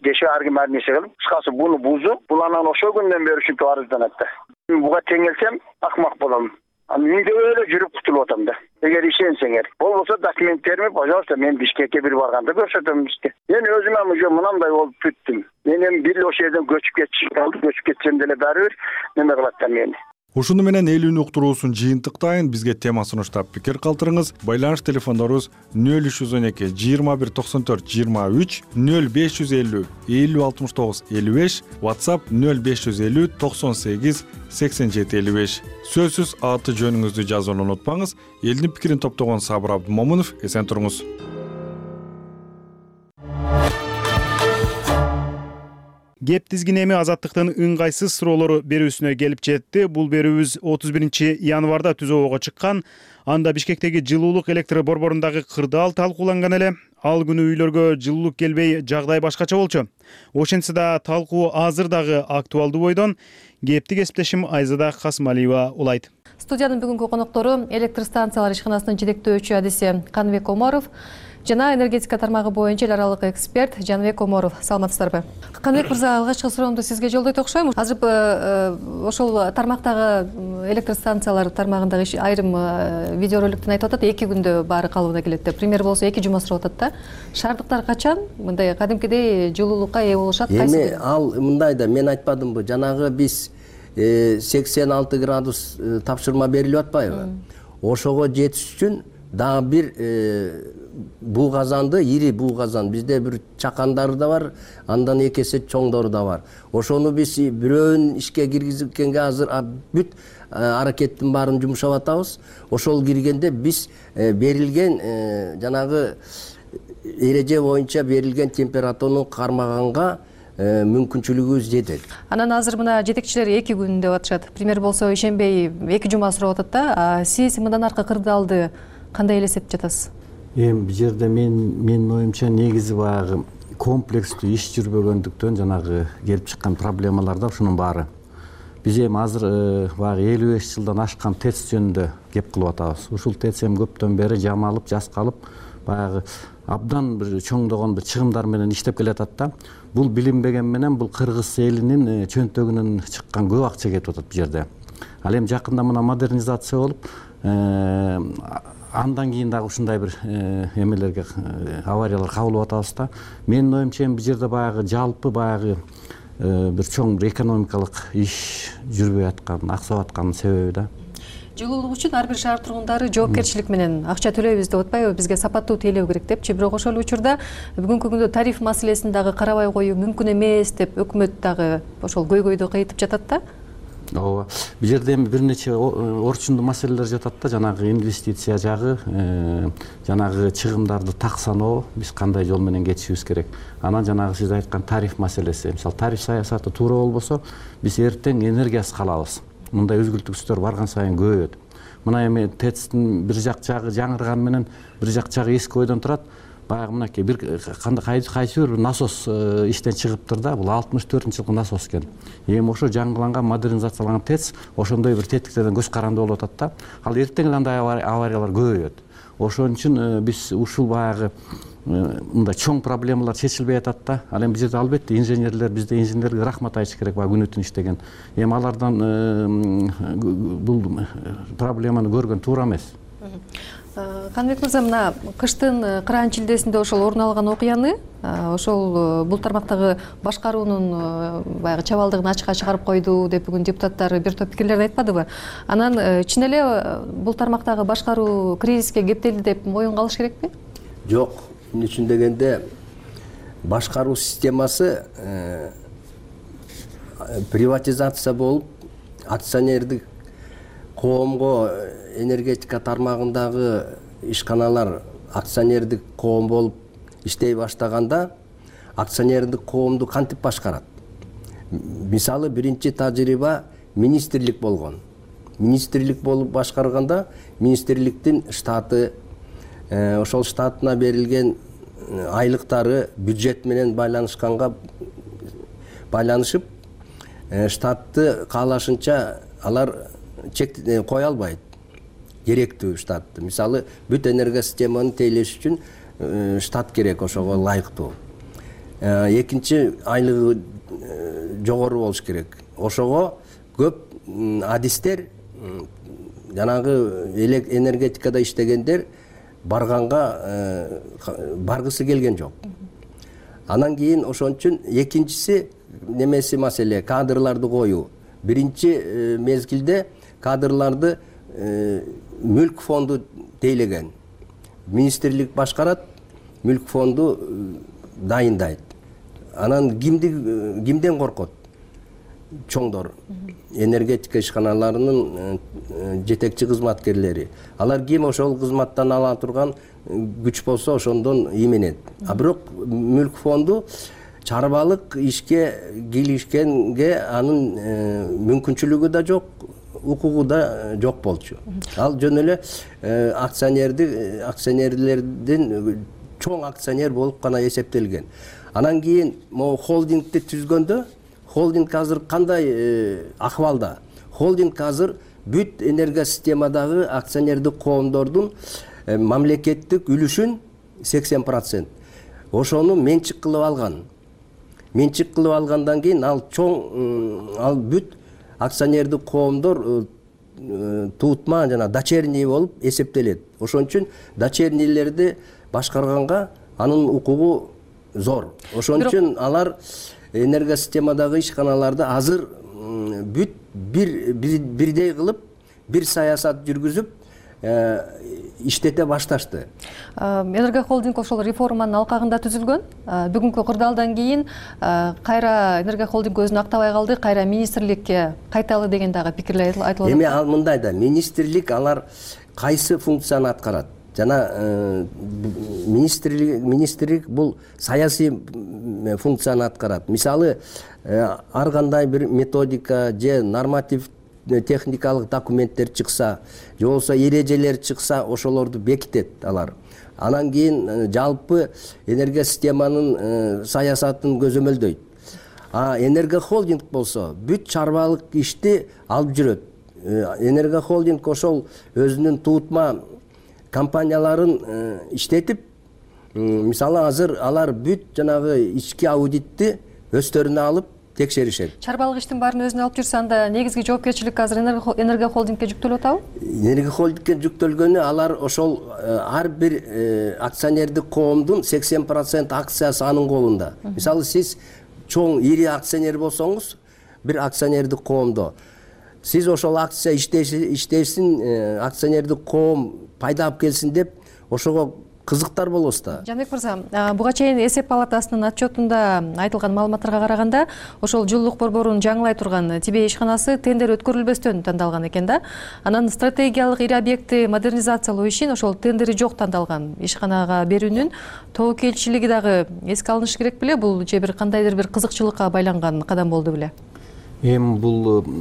деши ар ким эмнесе кылып, кыскасы буну бузуп, бул анан ошол күндөн бери ушинтип арызданат да. Буга теңелсем акмак болом. Анан үйдө эле жүрүп кутулуп атам да. Эгер ишенсеңер. Болбосо документтерими, пожалуйста, мен Бишкекке бир барганда көрсөтөм сизге. Мен өзүм эми уже мынандай болуп бүттүм. Мен эми бир ошол жерден көчүп кетишим калды, көчүп кетсем деле баары бир неме кылат да мени. Ушуну менен элүүнү уктуруусун жыйынтыктайын. Бизге тема сунуштап пикир калтырыңыз. Байланыш телефондорубуз нөл үч жүз он эки жыйырма бир токсон төрт жыйырма үч, нөл беш жүз элүү элүү алтымыш тогуз элүү беш, WhatsApp нөл беш жүз элүү токсон сегиз сексен жети элүү беш. Сөзсүз аты жөнүңүздү жазууну унутпаңыз. Элдин пикирин топтогон Сабыр Абдымомунов, эсен туруңуз. Кеп тизгин эми Азаттыктын ыңгайсыз суроолору берүүсүнө келип жетти. Бул берүүбүз отуз биринчи январда түзөөгө чыккан. Анда Бишкектеги жылуулук электр борборундагы кырдаал талкууланган эле. Ал күнү үйлөргө жылуулук келбей, жагдай башкача болчу. Ошентсе да талкуу азыр дагы актуалдуу бойдон. Кепти кесиптешим Айзада Касмалиева улайт. Студиянын бүгүнкү коноктору электр станциялар ишканасынын жетектөөчү адиси Каныбек Омаров жана энергетика тармагы боюнча эл аралык эксперт Жаныбек Омаров. Саламатсыздарбы? Каныбек мырза, алгачкы суроомду сизге жолдойт окшойм. Азыр ошол тармактагы электр станциялар тармагындагы айрым видеороликтен айтып атат, эки күндө баары калыбына келет деп. Пример болсо эки жума сурап атат да. Шаардыктар качан мындай кадимкидей жылуулукка ээ болушат? Эми ал мындай да, мен айтпадымбы, жанагы биз сексен алты градус тапшырма берилип атпайбы? Ошого жетиш үчүн дагы бир буу казанды, ири буу казан, бизде бир чакандары да бар, андан эки эсе чоңдору да бар. Ошону биз бирөөнүн ишке киргизгенге азыр бүт аракеттин баарын жумшап атабыз. Ошол киргенде биз берилген жанагы эреже боюнча берилген температураны кармаганга мүмкүнчүлүгүбүз жетет. Анан азыр мына жетекчилер эки күн деп атышат. Пример болсо ишенбей эки жума сурап атат да. Сиз мындан аркы кырдаалды кандай элестетип жатасыз? Эми бул жерде мен менин оюмча негизи баягы комплекстүү иш жүрбөгөндүктөн жанагы келип чыккан проблемалар да ушунун баары. Биз эми азыр баягы элүү беш жылдан ашкан ТЭЦ жөнүндө кеп кылып атабыз. Ушул ТЭЦ эми көптөн бери жамалып, жаскалып, баягы абдан бир чоңдогон бир чыгымдар менен иштеп келатат да. Бул билинбеген менен бул кыргыз элинин чөнтөгүнөн чыккан көп акча кетип атат бул жерде. Ал эми жакында мына модернизация болуп, андан кийин дагы ушундай бир эмелерге авариялар кабылып атабыз да. Менин оюмча эми бул жерде баягы жалпы баягы бир чоң бир экономикалык иш жүрбөй аткан, аксап атканын себеби да. Жылуулук үчүн ар бир шаар тургундары жоопкерчилик менен акча төлөйбүз деп атпайбы, бизге сапаттуу тейлөө керек депчи. Бирок ошол учурда бүгүнкү күндө тариф маселесин дагы карабай коюу мүмкүн эмес деп өкмөт дагы ошол көйгөйдү кайтып жатат да. Ооба. Бул жерде эми бир нече орчундуу маселелер жатат да, жанагы инвестиция жагы, жанагы чыгымдарды так саноо, биз кандай жол менен кетишибиз керек. Анан жанагы сиз айткан тариф маселеси. Мисалы, тариф саясаты туура болбосо, биз эртең энергиясыз калабыз. Мындай үзгүлтүкчүлөр барган сайын көбөйөт. Мына эми ТЭЦтин бир жак жагы жаңырган менен бир жак жагы эски ойдон турат. Баягы мынакей бир кандай кайсы бир насос иштен чыгыптыр да, бул алтымыш төртүнчү жылкы насос экен. Эми ошо жаңыланган, модернизацияланган ТЭЦ ошондой бир тетиктерден көз каранды болуп атат да. Ал эртең эле андай авариялар көбөйөт. Ошон үчүн биз ушул баягы мындай чоң проблемалар чечилбей атат да. Ал эми бул жерде албетте инженерлер, бизде инженерлерге рахмат айтыш керек, баягы күнү түн иштеген. Эми алардан бул проблеманы көргөн туура эмес. Каныбек мырза, мына кыштын кыраан чилдесинде ошол орун алган окуяны ошол бул тармактагы башкаруунун баягы чабалдыгын ачыкка чыгарып койду деп бүгүн депутаттар бир топ пикирлерди айтпадыбы? Анан чын эле бул тармактагы башкаруу кризиске кептелди деп моюнга алыш керекпи? Жок, эмне үчүн дегенде башкаруу системасы приватизация болуп, акционердик коомго энергетика тармагындагы ишканалар акционердик коом болуп иштей баштаганда акционердик коомду кантип башкарат? Мисалы биринчи тажрыйба министрлик болгон. Министрлик болуп башкарганда министрликтин штаты, ошол штатына берилген айлыктары бюджет менен байланышканга байланышып, штатты каалашынча алар чек кое албайт. Керектүү штатты. Мисалы бүт энергосистеманы тейлеш үчүн штат керек, ошого ылайыктуу. Экинчи айлыгы жогору болуш керек. Ошого көп адистер, жанагы энергетикада иштегендер барганга баргысы келген жок. Анан кийин ошон үчүн экинчиси немеси маселе кадрларды коюу. Биринчи мезгилде кадрларды мүлк фонду тейлеген. Министрлик башкарат, мүлк фонду дайындайт. Анан кимди кимден коркот? Чоңдор, энергетика ишканаларынын жетекчи кызматкерлери. Алар ким ошол кызматтан ала турган күч болсо ошондон именет. А бирок мүлк фонду чарбалык ишке киришкенге анын мүмкүнчүлүгү да жок, укугу да жок болчу. Ал жөн эле акционерди акционерлердин чоң акционер болуп гана эсептелген. Анан кийин могу холдингди түзгөндө, холдинг азыр кандай акыбалда? Холдинг азыр бүт энергосистемадагы акционердик коомдордун мамлекеттик үлүшүн сексен процент ошону менчик кылып алган. Менчик кылып алгандан кийин ал чоң ал бүт акционердик коомдор туутма жана дочерний болуп эсептелет. Ошон үчүн дочернийлерди башкарганга анын укугу зор. Ошон үчүн алар энергосистемадагы ишканаларды азыр бүт бир бирдей кылып, бир саясат жүргүзүп иштете башташты. Энергохолдинг ошол реформанын алкагында түзүлгөн. Бүгүнкү кырдаалдан кийин кайра Энергохолдинг өзүн актабай калды, кайра министрликке кайталы деген дагы пикирлер айтылып. Эми ал мындай да, министрлик алар кайсы функцияны аткарат? Жана министрлик министрлик бул саясий функцияны аткарат. Мисалы, ар кандай бир методика же норматив техникалык документтер чыкса, же болбосо эрежелер чыкса, ошолорду бекитет алар. Анан кийин жалпы энергосистеманын саясатын көзөмөлдөйт. А Энергохолдинг болсо бүт чарбалык ишти алып жүрөт. Энергохолдинг ошол өзүнүн туутма компанияларын иштетип, мисалы азыр алар бүт жанагы ички аудитти өздөрүнө алып текшеришет. Чарбалык иштин баарын өзүнө алып жүрсө, анда негизги жоопкерчилик азыр Энергохолдингке жүктөлүп атабы? Энергохолдингке жүктөлгөнү алар ошол ар бир акционердик коомдун сексен процент акциясы анын колунда. Мисалы сиз чоң ири акционер болсоңуз, бир акционердик коомдо сиз ошол акция иштесин, акционердик коом пайда алып келсин деп ошого кызыктар болосуз да. Жанбек мырза, буга чейин эсеп палатасынын отчетунда айтылган маалыматтарга караганда, ошол жылуулук борборун жаңылай турган Тибей ишканасы тендер өткөрүлбөстөн тандалган экен да. Анан стратегиялык ири объектти модернизациялоо ишин ошол тендери жок тандалган ишканага берүүнүн тобокелчилиги дагы эске алынышы керек беле? Бул же бир кандайдыр бир кызыкчылыкка байланган кадам болду беле? Эми бул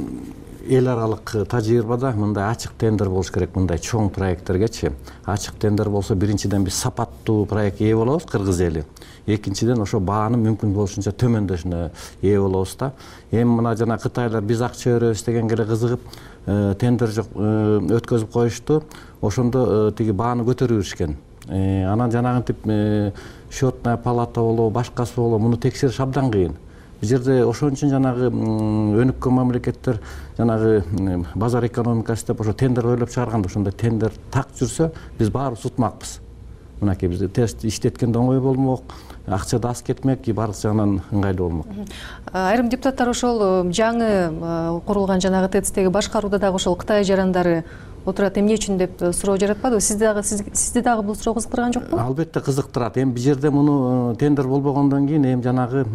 эл аралык тажрыйбада мындай ачык тендер болуш керек, мындай чоң проекттергечи. Ачык тендер болсо биринчиден биз сапаттуу проект ээ болобуз, кыргыз эли. Экинчиден ошо бааны мүмкүн болушунча төмөндөшүнө ээ болобуз да. Эми мына жана кытайлар биз акча беребиз дегенге эле кызыгып, тендер жок өткөзүп коюшту. Ошондо тиги бааны көтөрүп беришкен. Анан жанагынтип счетная палата болобу, башкасы болобу, муну текшериш абдан кыйын. бул жерде ошон үчүн жанагы өнүккөн мамлекеттер жанагы базар экономикасы деп ошо тендер ойлоп чыгарганда ошондой тендер так жүрсө биз баарыбыз утмакпыз. Мынакей биз тест иштеткенде оңой болмок, акча да аз кетмек, баардык жагынан ыңгайлуу болмок. Айрым депутаттар ошол жаңы курулган жанагы ТЭЦтеги башкарууда дагы ошол Кытай жарандары отурат, эмне үчүн деп суроо жаратпадыбы? Сизди дагы сизди дагы бул суроо кызыктырган жокпу? Албетте кызыктырат. Эми бул жерде муну тендер болбогондон кийин эми жанагы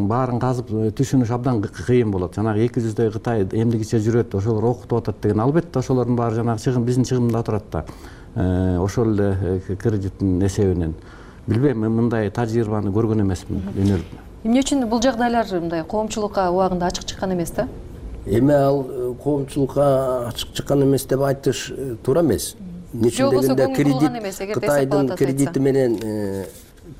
баарын казып түшүнүш абдан кыйын болот. Жанагы эки жүздөй Кытай эмдигиче жүрөт, ошолор окутуп атат деген. Албетте ошолордун баары жанагы чыгым биздин чыгымда турат да. Ошол эле кредиттин эсебинен. Билбейм, мындай тажрыйбаны көргөн эмесмин. Эмне үчүн бул жагдайлар мындай коомчулукка убагында ачык чыккан эмес да? Эми ал коомчулукка ачык чыккан эмес деп айтыш туура эмес. Нече дегенде кредит Кытайдын кредити менен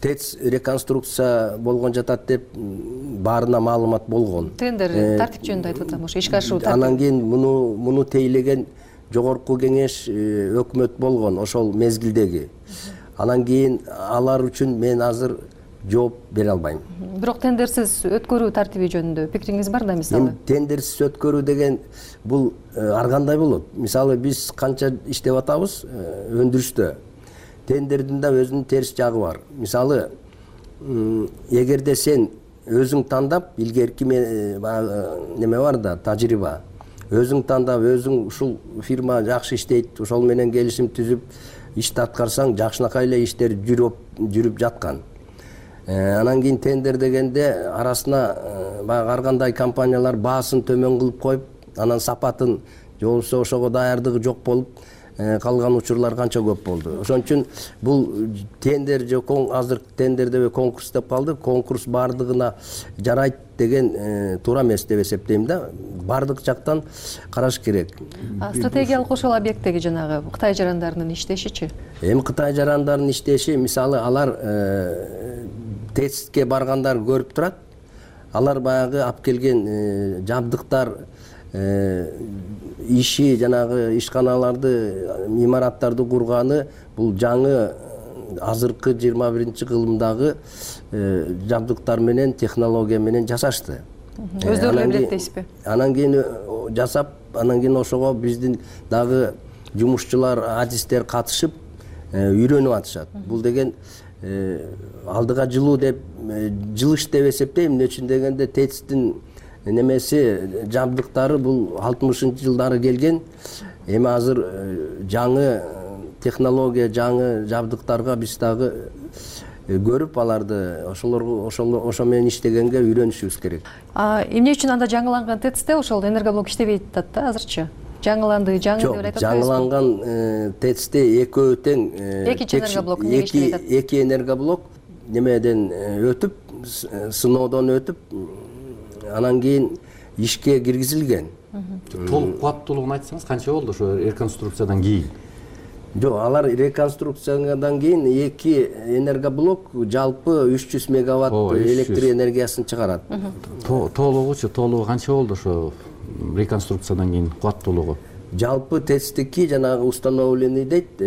ТЭЦ реконструкция болгон жатат деп баарына маалымат болгон. Тендер тартип жөнүндө айтып атам, ошо ишке ашыруу тартип. Анан кийин муну муну тейлеген жогорку кеңеш өкмөт болгон ошол мезгилдеги. Анан кийин алар үчүн мен азыр жооп бере албайм. Бирок тендерсиз өткөрүү тартиби жөнүндө пикириңиз бар да мисалы? Тендерсиз өткөрүү деген бул ар кандай болот? Мисалы биз канча иштеп атабыз өндүрүштө. Тендердин да өзүнүн терс жагы бар. Мисалы, эгерде сен өзүң тандап, илгерки неме бар да, тажрыйба. Өзүң тандап, өзүң ушул фирма жакшы иштейт, ошол менен келишим түзүп ишти аткарсаң, жакшынакай эле иштер жүрүп жүрүп жаткан. Анан кийин тендер дегенде арасына баягы ар кандай компаниялар баасын төмөн кылып коюп, анан сапатын же болбосо ошого даярдыгы жок болуп калган учурлар канча көп болду. Ошон үчүн бул тендер же азыр тендер деп конкурс деп калды, конкурс бардыгына жарайт деген туура эмес деп эсептейм да. Бардык жактан караш керек. Стратегиялык ошол объекттеги жанагы Кытай жарандарынын иштешичи? Эми Кытай жарандарынын иштеши, мисалы, алар ТЭЦке баргандар көрүп турат. Алар баягы алып келген жабдыктар, иши, жанагы ишканаларды, имараттарды курганы бул жаңы азыркы жыйырма биринчи кылымдагы жабдыктар менен, технология менен жасашты. Өздөрү эле билет дейсизби? Анан кийин жасап, анан кийин ошого биздин дагы жумушчулар, адистер катышып үйрөнүп атышат. Бул деген алдыга жылуу деп, жылыш деп эсептейм. Эмне үчүн дегенде ТЭЦтин немеси, жабдыктары бул алтымышынчы жылдары келген. Эми азыр жаңы технология, жаңы жабдыктарга биз дагы көрүп аларды ошолорго ошо менен иштегенге үйрөнүшүбүз керек. Эмне үчүн анда жаңыланган ТЭЦте ошол энергоблок иштебейт атат да азырчы? Жаңыланды, жаңы деп айтып атпайсызбы? Жаңыланган ТЭЦте экөө тең эки энергоблок эмнеге иштебейт атат? Эки энергоблок немеден өтүп, сыноодон өтүп, анан кийин ишке киргизилген. Толук кубаттуулугун айтсаңыз, канча болду ошо реконструкциядан кийин? Жок, алар реконструкциядан кийин эки энергоблок жалпы үч жүз мегаватт электр энергиясын чыгарат. Толугучу, толугу канча болду ошо реконструкциядан кийин кубаттуулугу? Жалпы ТЭЦтики жанагы установленный дейт,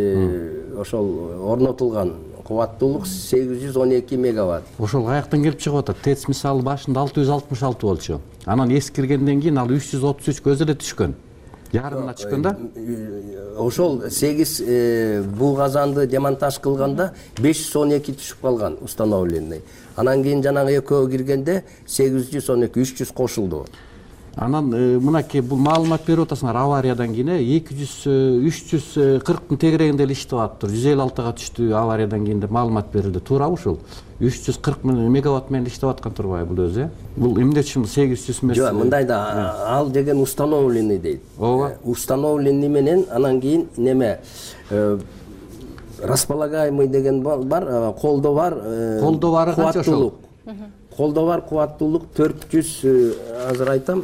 ошол орнотулган кубаттуулук сегиз жүз он эки мегаватт. Ошол каяктан келип чыгып атат? ТЭЦ мисалы башында алты жүз алтымыш алты болчу. Анан эскиргенден кийин ал үч жүз отуз үчкө өзү эле түшкөн. Ярымына түшкөн да? Ошол сегиз бул казанды демонтаж кылганда беш жүз он эки түшүп калган установленный. Анан кийин жанагы экөө киргенде сегиз жүз он эки, үч жүз кошулду. Анан мынакей бул маалымат берип атасыңар авариядан кийин эки жүз үч жүз кырктын тегерегинде эле иштеп атыптыр. жүз элүү алтыга түштү авариядан кийин деп маалымат берилди. Туурабы ушул? үч жүз кырк мегаватт менен иштеп аткан турбайбы бул өзү? Бул эмне үчүн сегиз жүз эмес? Жок, мындай да, ал деген установленный дейт. Ооба. Установленный менен анан кийин неме располагаемый деген бар, колдо бар. Колдо бары канча ошол? Колдо бар кубаттуулук төрт жүз, азыр айтам,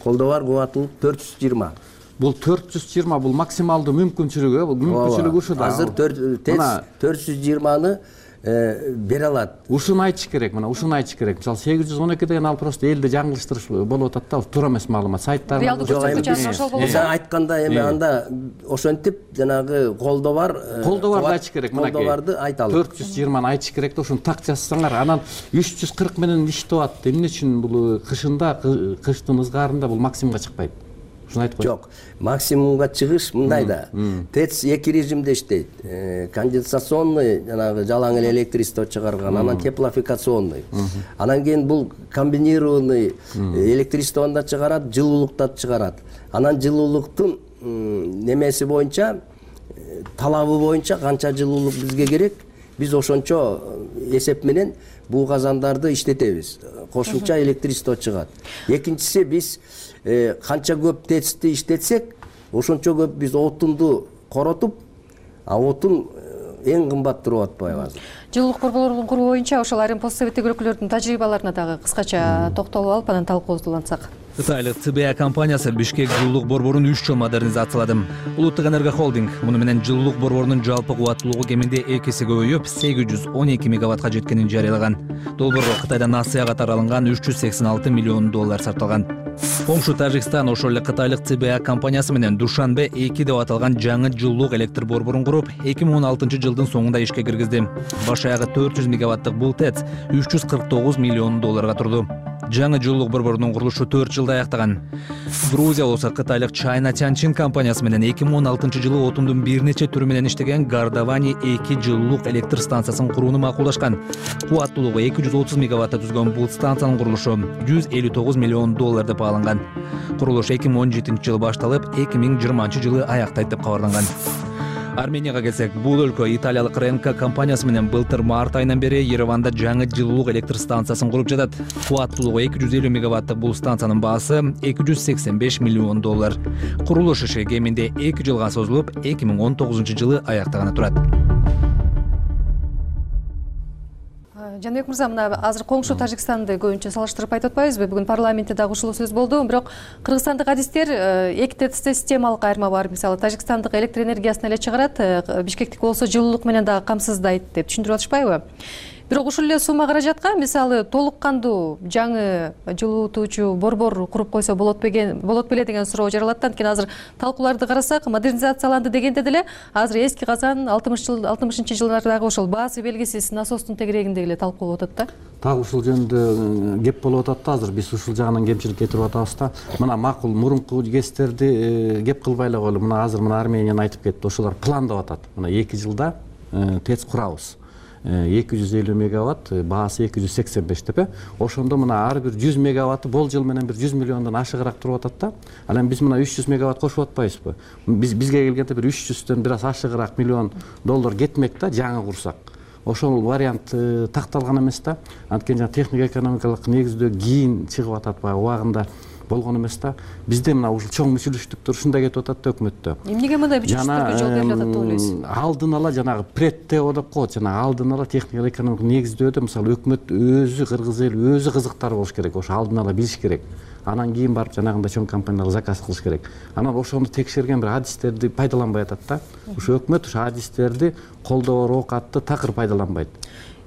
колдо бар кубаттуулук төрт жүз жыйырма. Бул төрт жүз жыйырма бул максималдуу мүмкүнчүлүгү, бул мүмкүнчүлүгү ушуда. Азыр төрт жүз жыйырманы бере алат. Ушуну айтыш керек, мына ушуну айтыш керек. Мисалы сегиз жүз он эки деген ал просто элди жаңылыштырыш болуп атат да, ал туура эмес маалымат. Сайттар реалдуу көрсөткүч ошол болот. Сен айткандай эми анда ошентип жанагы колдоо бар. Колдоо барды айтыш керек, мына колдоо барды айталы. төрт жүз жыйырманы айтыш керек да, ошону так жазсаңар, анан үч жүз кырк менен иштеп атат. Эмне үчүн бул кышында, кыштын ызгаарында бул максимумга чыкпайт? Ушуну айтып кой. Жок, максимумга чыгыш мындай да. ТЭЦ эки режимде иштейт. Конденсационный жанагы жалаң эле электричество чыгарган, анан теплофикационный. Анан кийин бул комбинированный электричествону да чыгарат, жылуулукту да чыгарат. Анан жылуулуктун немеси боюнча, талабы боюнча канча жылуулук бизге керек, биз ошончо эсеп менен бул казандарды иштетебиз. Кошумча электричество чыгат. Экинчиси, биз канча көп ТЭЦти иштетсек, ошончо көп биз отунду коротуп, а отун эң кымбат туруп атпайбы азыр. Жылуулук борборлорун куруу боюнча ошол айрым пост советтик өлкөлөрдүн тажрыйбаларына дагы кыскача токтолуп алып, анан талкуубузду улантсак. Кытайлык Ц Б А компаниясы Бишкек жылуулук борборун үч жол модернизациялады. Улуттук энерго холдинг муну менен жылуулук борборунун жалпы кубаттуулугу кеминде эки эсе көбөйүп, сегиз жүз он эки мегаваттка жеткенин жарыялаган. Долбоорго Кытайдан Асияга катары алынган үч жүз сексен алты миллион доллар сарпталган. Коңшу Тажикстан ошол эле Кытайлык Ц Б А компаниясы менен Душанбе эки деп аталган жаңы жылуулук электр борборун куруп, эки миң он алтынчы жылдын соңунда ишке киргизди. Баш аягы төрт жүз мегаваттык бул ТЭЦ үч жүз кырк тогуз миллион долларга турду. Жаңы жылуулук борборунун курулушу төрт жылда аяктаган. Грузия болсо Кытайлык China Tianjin компаниясы менен эки миң он алтынчы жылы отундун бир нече түрү менен иштеген Гардавани эки жылуулук электр станциясын курууну макулдашкан. Кубаттуулугу эки жүз отуз мегаватта түзгөн бул станциянын курулушу жүз элүү тогуз миллион доллар деп бааланган. Курулуш эки миң он жетинчи жылы башталып, эки миң жыйырманчы жылы аяктайт деп кабарланган. Арменияга келсек, бул өлкө италиялык Ренка компаниясы менен былтыр март айынан бери Ереванда жаңы жылуулук электр станциясын куруп жатат. Кубаттуулугу эки жүз элүү мегаваттык бул станциянын баасы эки жүз сексен беш миллион доллар. Курулуш иши кеминде эки жылга созулуп, эки миң он тогузунчу жылы аяктаганы турат. Жанбек мырза, мына азыр коңшу Тажикстанды көбүнчө салыштырып айтып атпайбызбы? Бүгүн парламентте дагы ушул сөз болду. Бирок кыргызстандык адистер эки ТЭЦте системалык айырма бар. Мисалы Тажикстандык электр энергиясын эле чыгарат, Бишкектик болсо жылуулук менен дагы камсыздайт деп түшүндүрүп атышпайбы? Бирок ушул эле сумма каражатка мисалы толук кандуу жаңы жылуутуучу борбор куруп койсо болот болот беле деген суроо жаралат. Анткени азыр талкууларды карасак, модернизацияланды дегенде деле азыр эски казан алтымышынчы жылдардагы ошол баасы белгисиз насостун тегерегинде эле талкуу болуп атат да. Так ушул жөнүндө кеп болуп атат да, азыр биз ушул жагынан кемчилик кетирип атабыз да. Мына макул мурунку кестерди кеп кылбай эле коелу. Мына азыр мына Арменияны айтып кетти. Ошолор пландап атат. Мына эки жылда ТЭЦ курабыз. эки жүз элүү мегаватт, баасы эки жүз сексен беш деп. Ошондо мына ар бир жүз мегаватты болжол менен бир жүз миллиондон ашыгыраак туруп атат да. Анан биз мына үч жүз мегаватт кошуп атпайбызбы? Биз бизге келгенде бир үч жүздөн бир аз ашыгыраак миллион доллар кетмек да, жаңы курсак. Ошол вариант такталган эмес да. Анткени жана техник экономикалык негиздөө кийин чыгып атат, баягы убагында болгон эмес да. Бизде мына ушул чоң мүчүлүштүктөр ушундай кетип атат да өкмөттө. Эмнеге мындай мүчүлүштүктөргө жол берилип атат деп ойлойсуз? Алдын ала жанагы предтео деп коет, жанагы алдын ала техник экономикалык негиздөөдө мисалы өкмөт өзү, кыргыз эли өзү кызыктар болуш керек, ошо алдын ала билиш керек. Анан кийин барып жанагындай чоң компанияларга заказ кылыш керек. Анан ошону текшерген бир адистерди пайдаланбай атат да. Ушу өкмөт ушу адистерди колдоо оокатты такыр пайдаланбайт.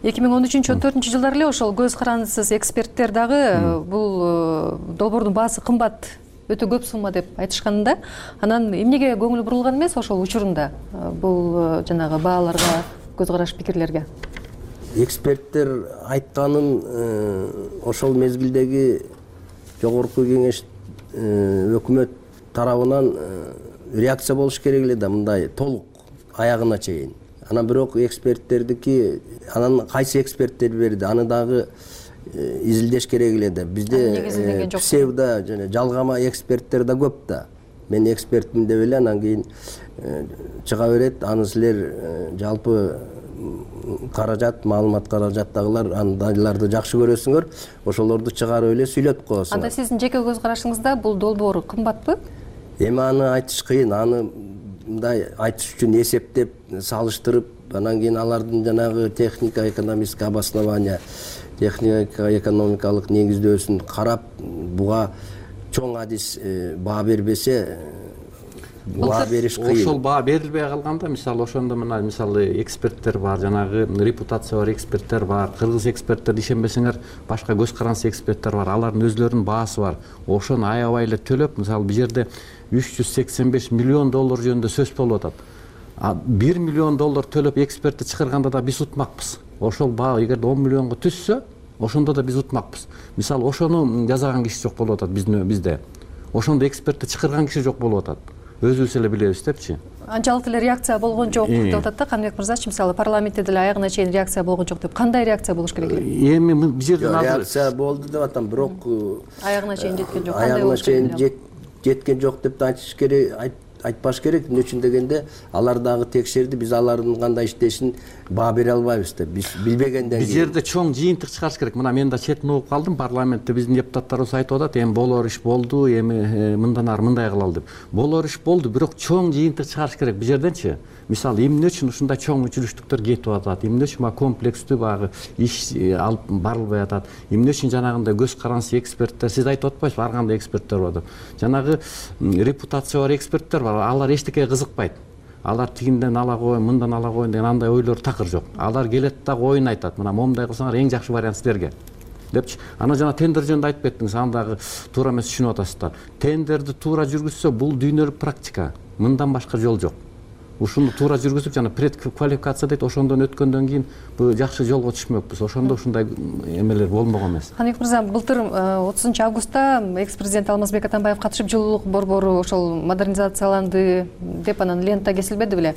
эки миң он үчүнчү он төртүнчү жылдары эле ошол көз карандысыз эксперттер дагы бул долбоордун баасы кымбат, өтө көп сумма деп айтышканда, анан эмнеге көңүл бурулган эмес ошол учурунда бул жанагы бааларга, көз караш, пикирлерге? Эксперттер айтканын ошол мезгилдеги жогорку кеңеш өкмөт тарабынан реакция болуш керек эле да, мындай толук аягына чейин. Анан бирок эксперттердики, анан кайсы эксперттер берди, аны дагы изилдеш керек эле да. Бизде псевдо жана жалгама эксперттер да көп да. Мен экспертмин деп эле анан кийин чыга берет, аны силер жалпы каражат, маалымат каражаттагылар, андайларды жакшы көрөсүңөр, ошолорду чыгарып эле сүйлөп коесуңар. Анда сиздин жеке көз карашыңызда бул долбоор кымбатпы? Эми аны айтыш кыйын, аны мындай айтыш үчүн эсептеп, салыштырып, анан кийин алардын жанагы техника экономическое обоснование, техника экономикалык негиздөөсүн карап, буга чоң адис баа бербесе, баа бериш кыйын. Ошол баа берилбей калганда мисалы ошондо мына мисалы эксперттер бар, жанагы репутация бар эксперттер бар, кыргыз эксперттер ишенбесеңер башка көз каранды эксперттер бар, алардын өзлөрүнүн баасы бар. Ошону аябай эле төлөп, мисалы бул жерде үч жүз сексен беш миллион доллар жөнүндө сөз болуп атат. бир миллион доллар төлөп экспертти чыгарганда да биз утмакпыз. Ошол баа эгерде он миллионго түшсө, ошондо да биз утмакпыз. Мисалы ошону жасаган киши жок болуп атат биздин бизде. Ошондо экспертти чыгарган киши жок болуп атат. Өзүбүз эле билебиз депчи. Анчалык эле реакция болгон жок деп атат да Каныбек мырзачы, мисалы парламентте деле аягына чейин реакция болгон жок деп. Кандай реакция болуш керек эле? Эми бул жерден азыр реакция болду деп атам, бирок аягына чейин жеткен жок. Аягына чейин жеткен жок деп айтыш керек, айтпаш керек. Эмне үчүн дегенде алар дагы текшерди, биз алардын кандай иштешин баа бере албайбыз деп. Биз билбегенден кийин. Бул жерде чоң жыйынтык чыгарыш керек. Мына мен да чет угуп калдым, парламентте биздин депутаттарыбыз айтып атат, эми болор иш болду, эми мындан ары мындай кылалы деп. Болор иш болду, бирок чоң жыйынтык чыгарыш керек бул жерденчи. Мисалы эмне үчүн ушундай чоң үзүлүштүктөр кетип атат, эмне үчүн комплекстүү багы иш алып барылбай атат, эмне үчүн жанагындай көз карансыз эксперттер, сиз айтып атпайсызбы, ар кандай эксперттер бар деп. Жанагы репутация бар эксперттер бар, алар эчтекеге кызыкпайт. Алар тигинден ала коеюн, мындан ала коеюн деген андай ойлор такыр жок. Алар келет дагы оюн айтат. Мына момундай кылсаңар эң жакшы вариант силерге депчи. Анан жана тендер жөнүндө айтып кеттиңиз, аны дагы туура эмес түшүнүп атасыздар. Тендерди туура жүргүзсө, бул дүйнөлүк практика. Мындан башка жол жок. Ушуну туура жүргүзүп, жана предквалификация дейт, ошондон өткөндөн кийин бул жакшы жолго түшмөкпүз. Ошондо ушундай эмелер болмогон эмес. Каныбек мырза, былтыр отузунчу августта экс-президент Алмазбек Атамбаев катышып, жылуулук борбору ошол модернизацияланды деп анан лента кесилбеди беле.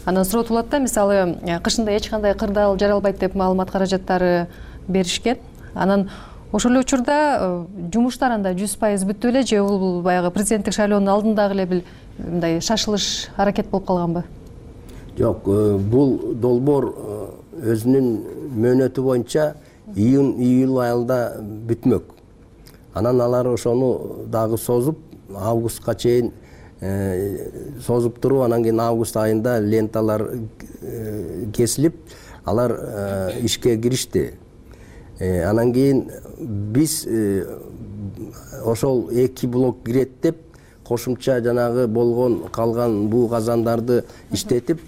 Анан суротулат да, мисалы, кышында эч кандай кырдаал жаралбайт деп маалымат каражаттары беришкен. Анан ошол эле учурда жумуштар анда жүз пайыз бүттү беле, же бул баягы президенттик шайлоонун алдындагы эле бир мындай шашылыш аракет болуп калганбы? Жок, бул долбоор өзүнүн мөөнөтү боюнча июнь-июль айында бүтмөк. Анан алар ошону дагы созуп, августка чейин созуп туруп, анан кийин август айында ленталар кесилип, алар ишке киришти. Анан кийин биз ошол эки блок кирет деп кошумча жанагы болгон калган буу казандарды иштетип,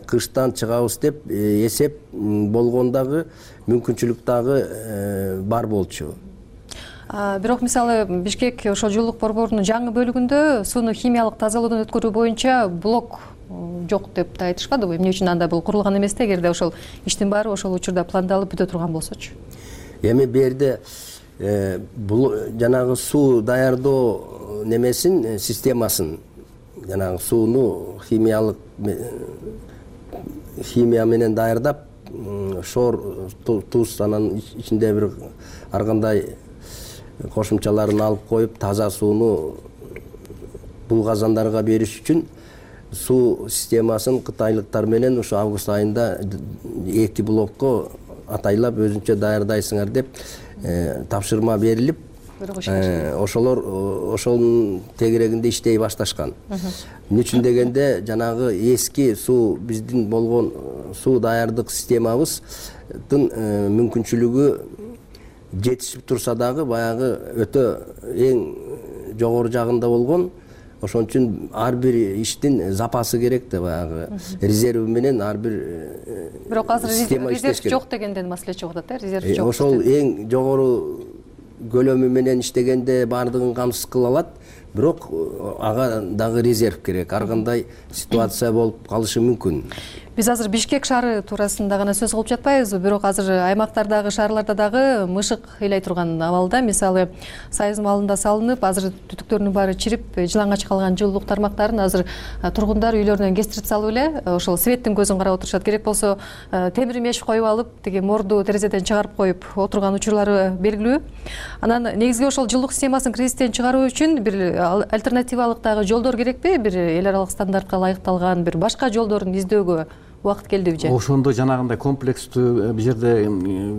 кыштан чыгабыз деп эсеп болгон дагы мүмкүнчүлүк дагы бар болчу. Бирок мисалы Бишкек ошол жылуулук борборунун жаңы бөлүгүндө сууну химиялык тазалоодон өткөрүү боюнча блок жок деп да айтышпадыбы? Эмне үчүн анда бул курулган эмес да, эгерде ошол иштин баары ошол учурда пландалып бүтө турган болсочу? Эми берде бул жанагы суу даярдоо немесин, системасын, жанагы сууну химиялык химия менен даярдап, шор, туз, анан ичинде бир ар кандай кошумчаларын алып коюп, таза сууну бул казандарга бериш үчүн суу системасын кытайлыктар менен ушу август айында эки блокко атайлап өзүнчө даярдайсыңар деп тапшырма берилип, ошолор ошонун тегерегинде иштей башташкан. Эмне үчүн дегенде жанагы эски суу, биздин болгон суу даярдык системабыздын мүмкүнчүлүгү жетишип турса дагы баягы өтө эң жогору жагында болгон. Ошон үчүн ар бир иштин запасы керек да, баягы резерви менен ар бир бирок азыр резерв жок дегенден маселе чыгып атат, э, резерв жок. Ошол эң жогору көлөмү менен иштегенде баардыгын камсыз кыла алат, бирок ага дагы резерв керек. Ар кандай ситуация болуп калышы мүмкүн. Биз азыр Бишкек шаары туурасында гана сөз кылып жатпайбызбы, бирок азыр аймактардагы, шаарларда дагы мышык ыйлай турган абалда. Мисалы, Сайыз малында салынып, азыр түтүктөрүнүн баары чирип, жылаңач калган жылуулук тармактарын азыр тургундар үйлөрүнөн кестирип салып эле, ошол светтин көзүн карап отурушат. Керек болсо, темир меш коюп алып, тиги морду терезеден чыгарып коюп отурган учурлары белгилүү. Анан негизги ошол жылуулук системасын кризистен чыгаруу үчүн бир альтернативалык дагы жолдор керекпи? Бир эл аралык стандартка ылайыкталган бир башка жолдорун издөөгө убакыт келдиби же? Ошондо жанагындай комплекстүү бул жерде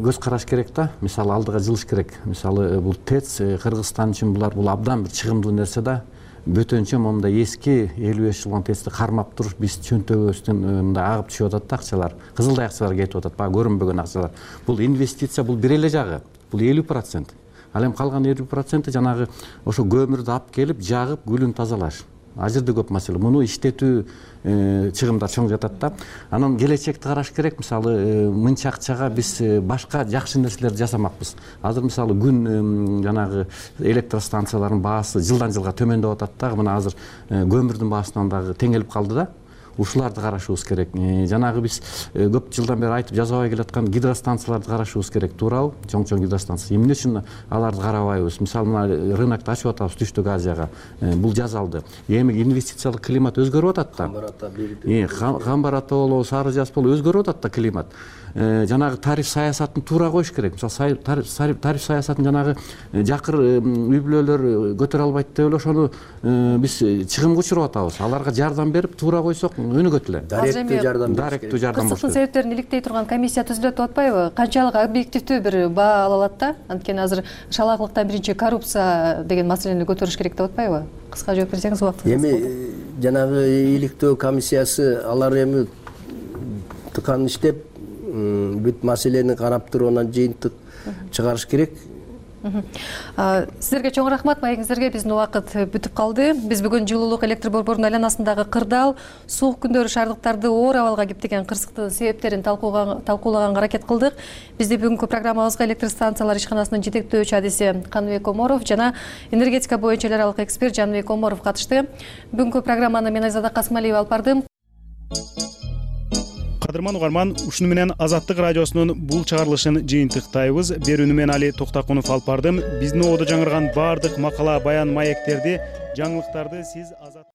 көз караш керек да. Мисалы алдыга жылыш керек. Мисалы бул ТЭЦ Кыргызстан үчүн булар бул абдан бир чыгымдуу нерсе да. Бөтөнчө мондай эски элүү беш жылгы ТЭЦти кармап туруш биз чөнтөгүбүздөн мындай агып түшүп атат да акчалар. Кызылдай акчалар кетип атат, баягы көрүнбөгөн акчалар. Бул инвестиция, бул бир эле жагы. Бул элүү процент. Ал эми калган элүү проценти жанагы ошо көмүрдү алып келип, жагып, гүлүн тазалаш. ал жерде көп маселе. Муну иштетүү чыгымдар чоң жатат да. Анан келечекти караш керек. Мисалы мынча акчага биз башка жакшы нерселерди жасамакпыз. Азыр мисалы күн жанагы электростанциялардын баасы жылдан жылга төмөндөп атат да. Мына азыр көмүрдүн баасынан дагы теңелип калды да. Ушуларды карашыбыз керек. Жанагы биз көп жылдан бери айтып жазабай келаткан гидростанцияларды карашыбыз керек, туурабы? Чоң-чоң гидростанция. Эмне үчүн аларды карабайбыз? Мисалы, мына рынокто ачып атабыз Түштүк Азияга. Бул жазалды. Эми инвестициялык климат өзгөрүп атат да. Камбар ата болобу, Сары Жаз болобу өзгөрүп атат да климат. Жанагы тариф саясатын туура коюш керек. Мисалы, тариф саясатын жанагы жакыр үй бүлөлөр көтөрө албайт деп эле ошону биз чыгымга учуруп атабыз. Аларга жардам берип туура койсок өнүгөт эле. Даректүү жардам. Даректүү жардам болуш керек. Кырсыктын себептерин иликтей турган комиссия түзүлөт деп атпайбы? Канчалык объективдүү бир баа ала алат да? Анткени азыр шалаактыктан биринчи коррупция деген маселени көтөрүш керек деп атпайбы? Кыска жооп берсеңиз убактыңыз. Эми жанагы иликтөө комиссиясы алар эми тыкан иштеп бүт маселени карап туруп анан жыйынтык чыгарыш керек. Сиздерге чоң рахмат, маегиңиздерге. Биздин убакыт бүтүп калды. Биз бүгүн жылуулук электр борборунун айланасындагы кырдаал, суук күндөрү шаардыктарды оор абалга кептеген кырсыктын себептерин талкуулаганга аракет кылдык. Бизди бүгүнкү программабызга электр станциялар ишканасынын жетектөөчү адиси Каныбек Коморов жана энергетика боюнча эл аралык эксперт Жаныбек Коморов катышты. Бүгүнкү программаны мен Айзада Касмалиева алып бардым. Кадырман угарман, ушуну менен Азаттык радиосунун бул чыгарылышын жыйынтыктайбыз. Берүүнү мен Али Токтакунов алып бардым. Биздин ободо жаңырган баардык макала, баян, маектерди, жаңылыктарды сиз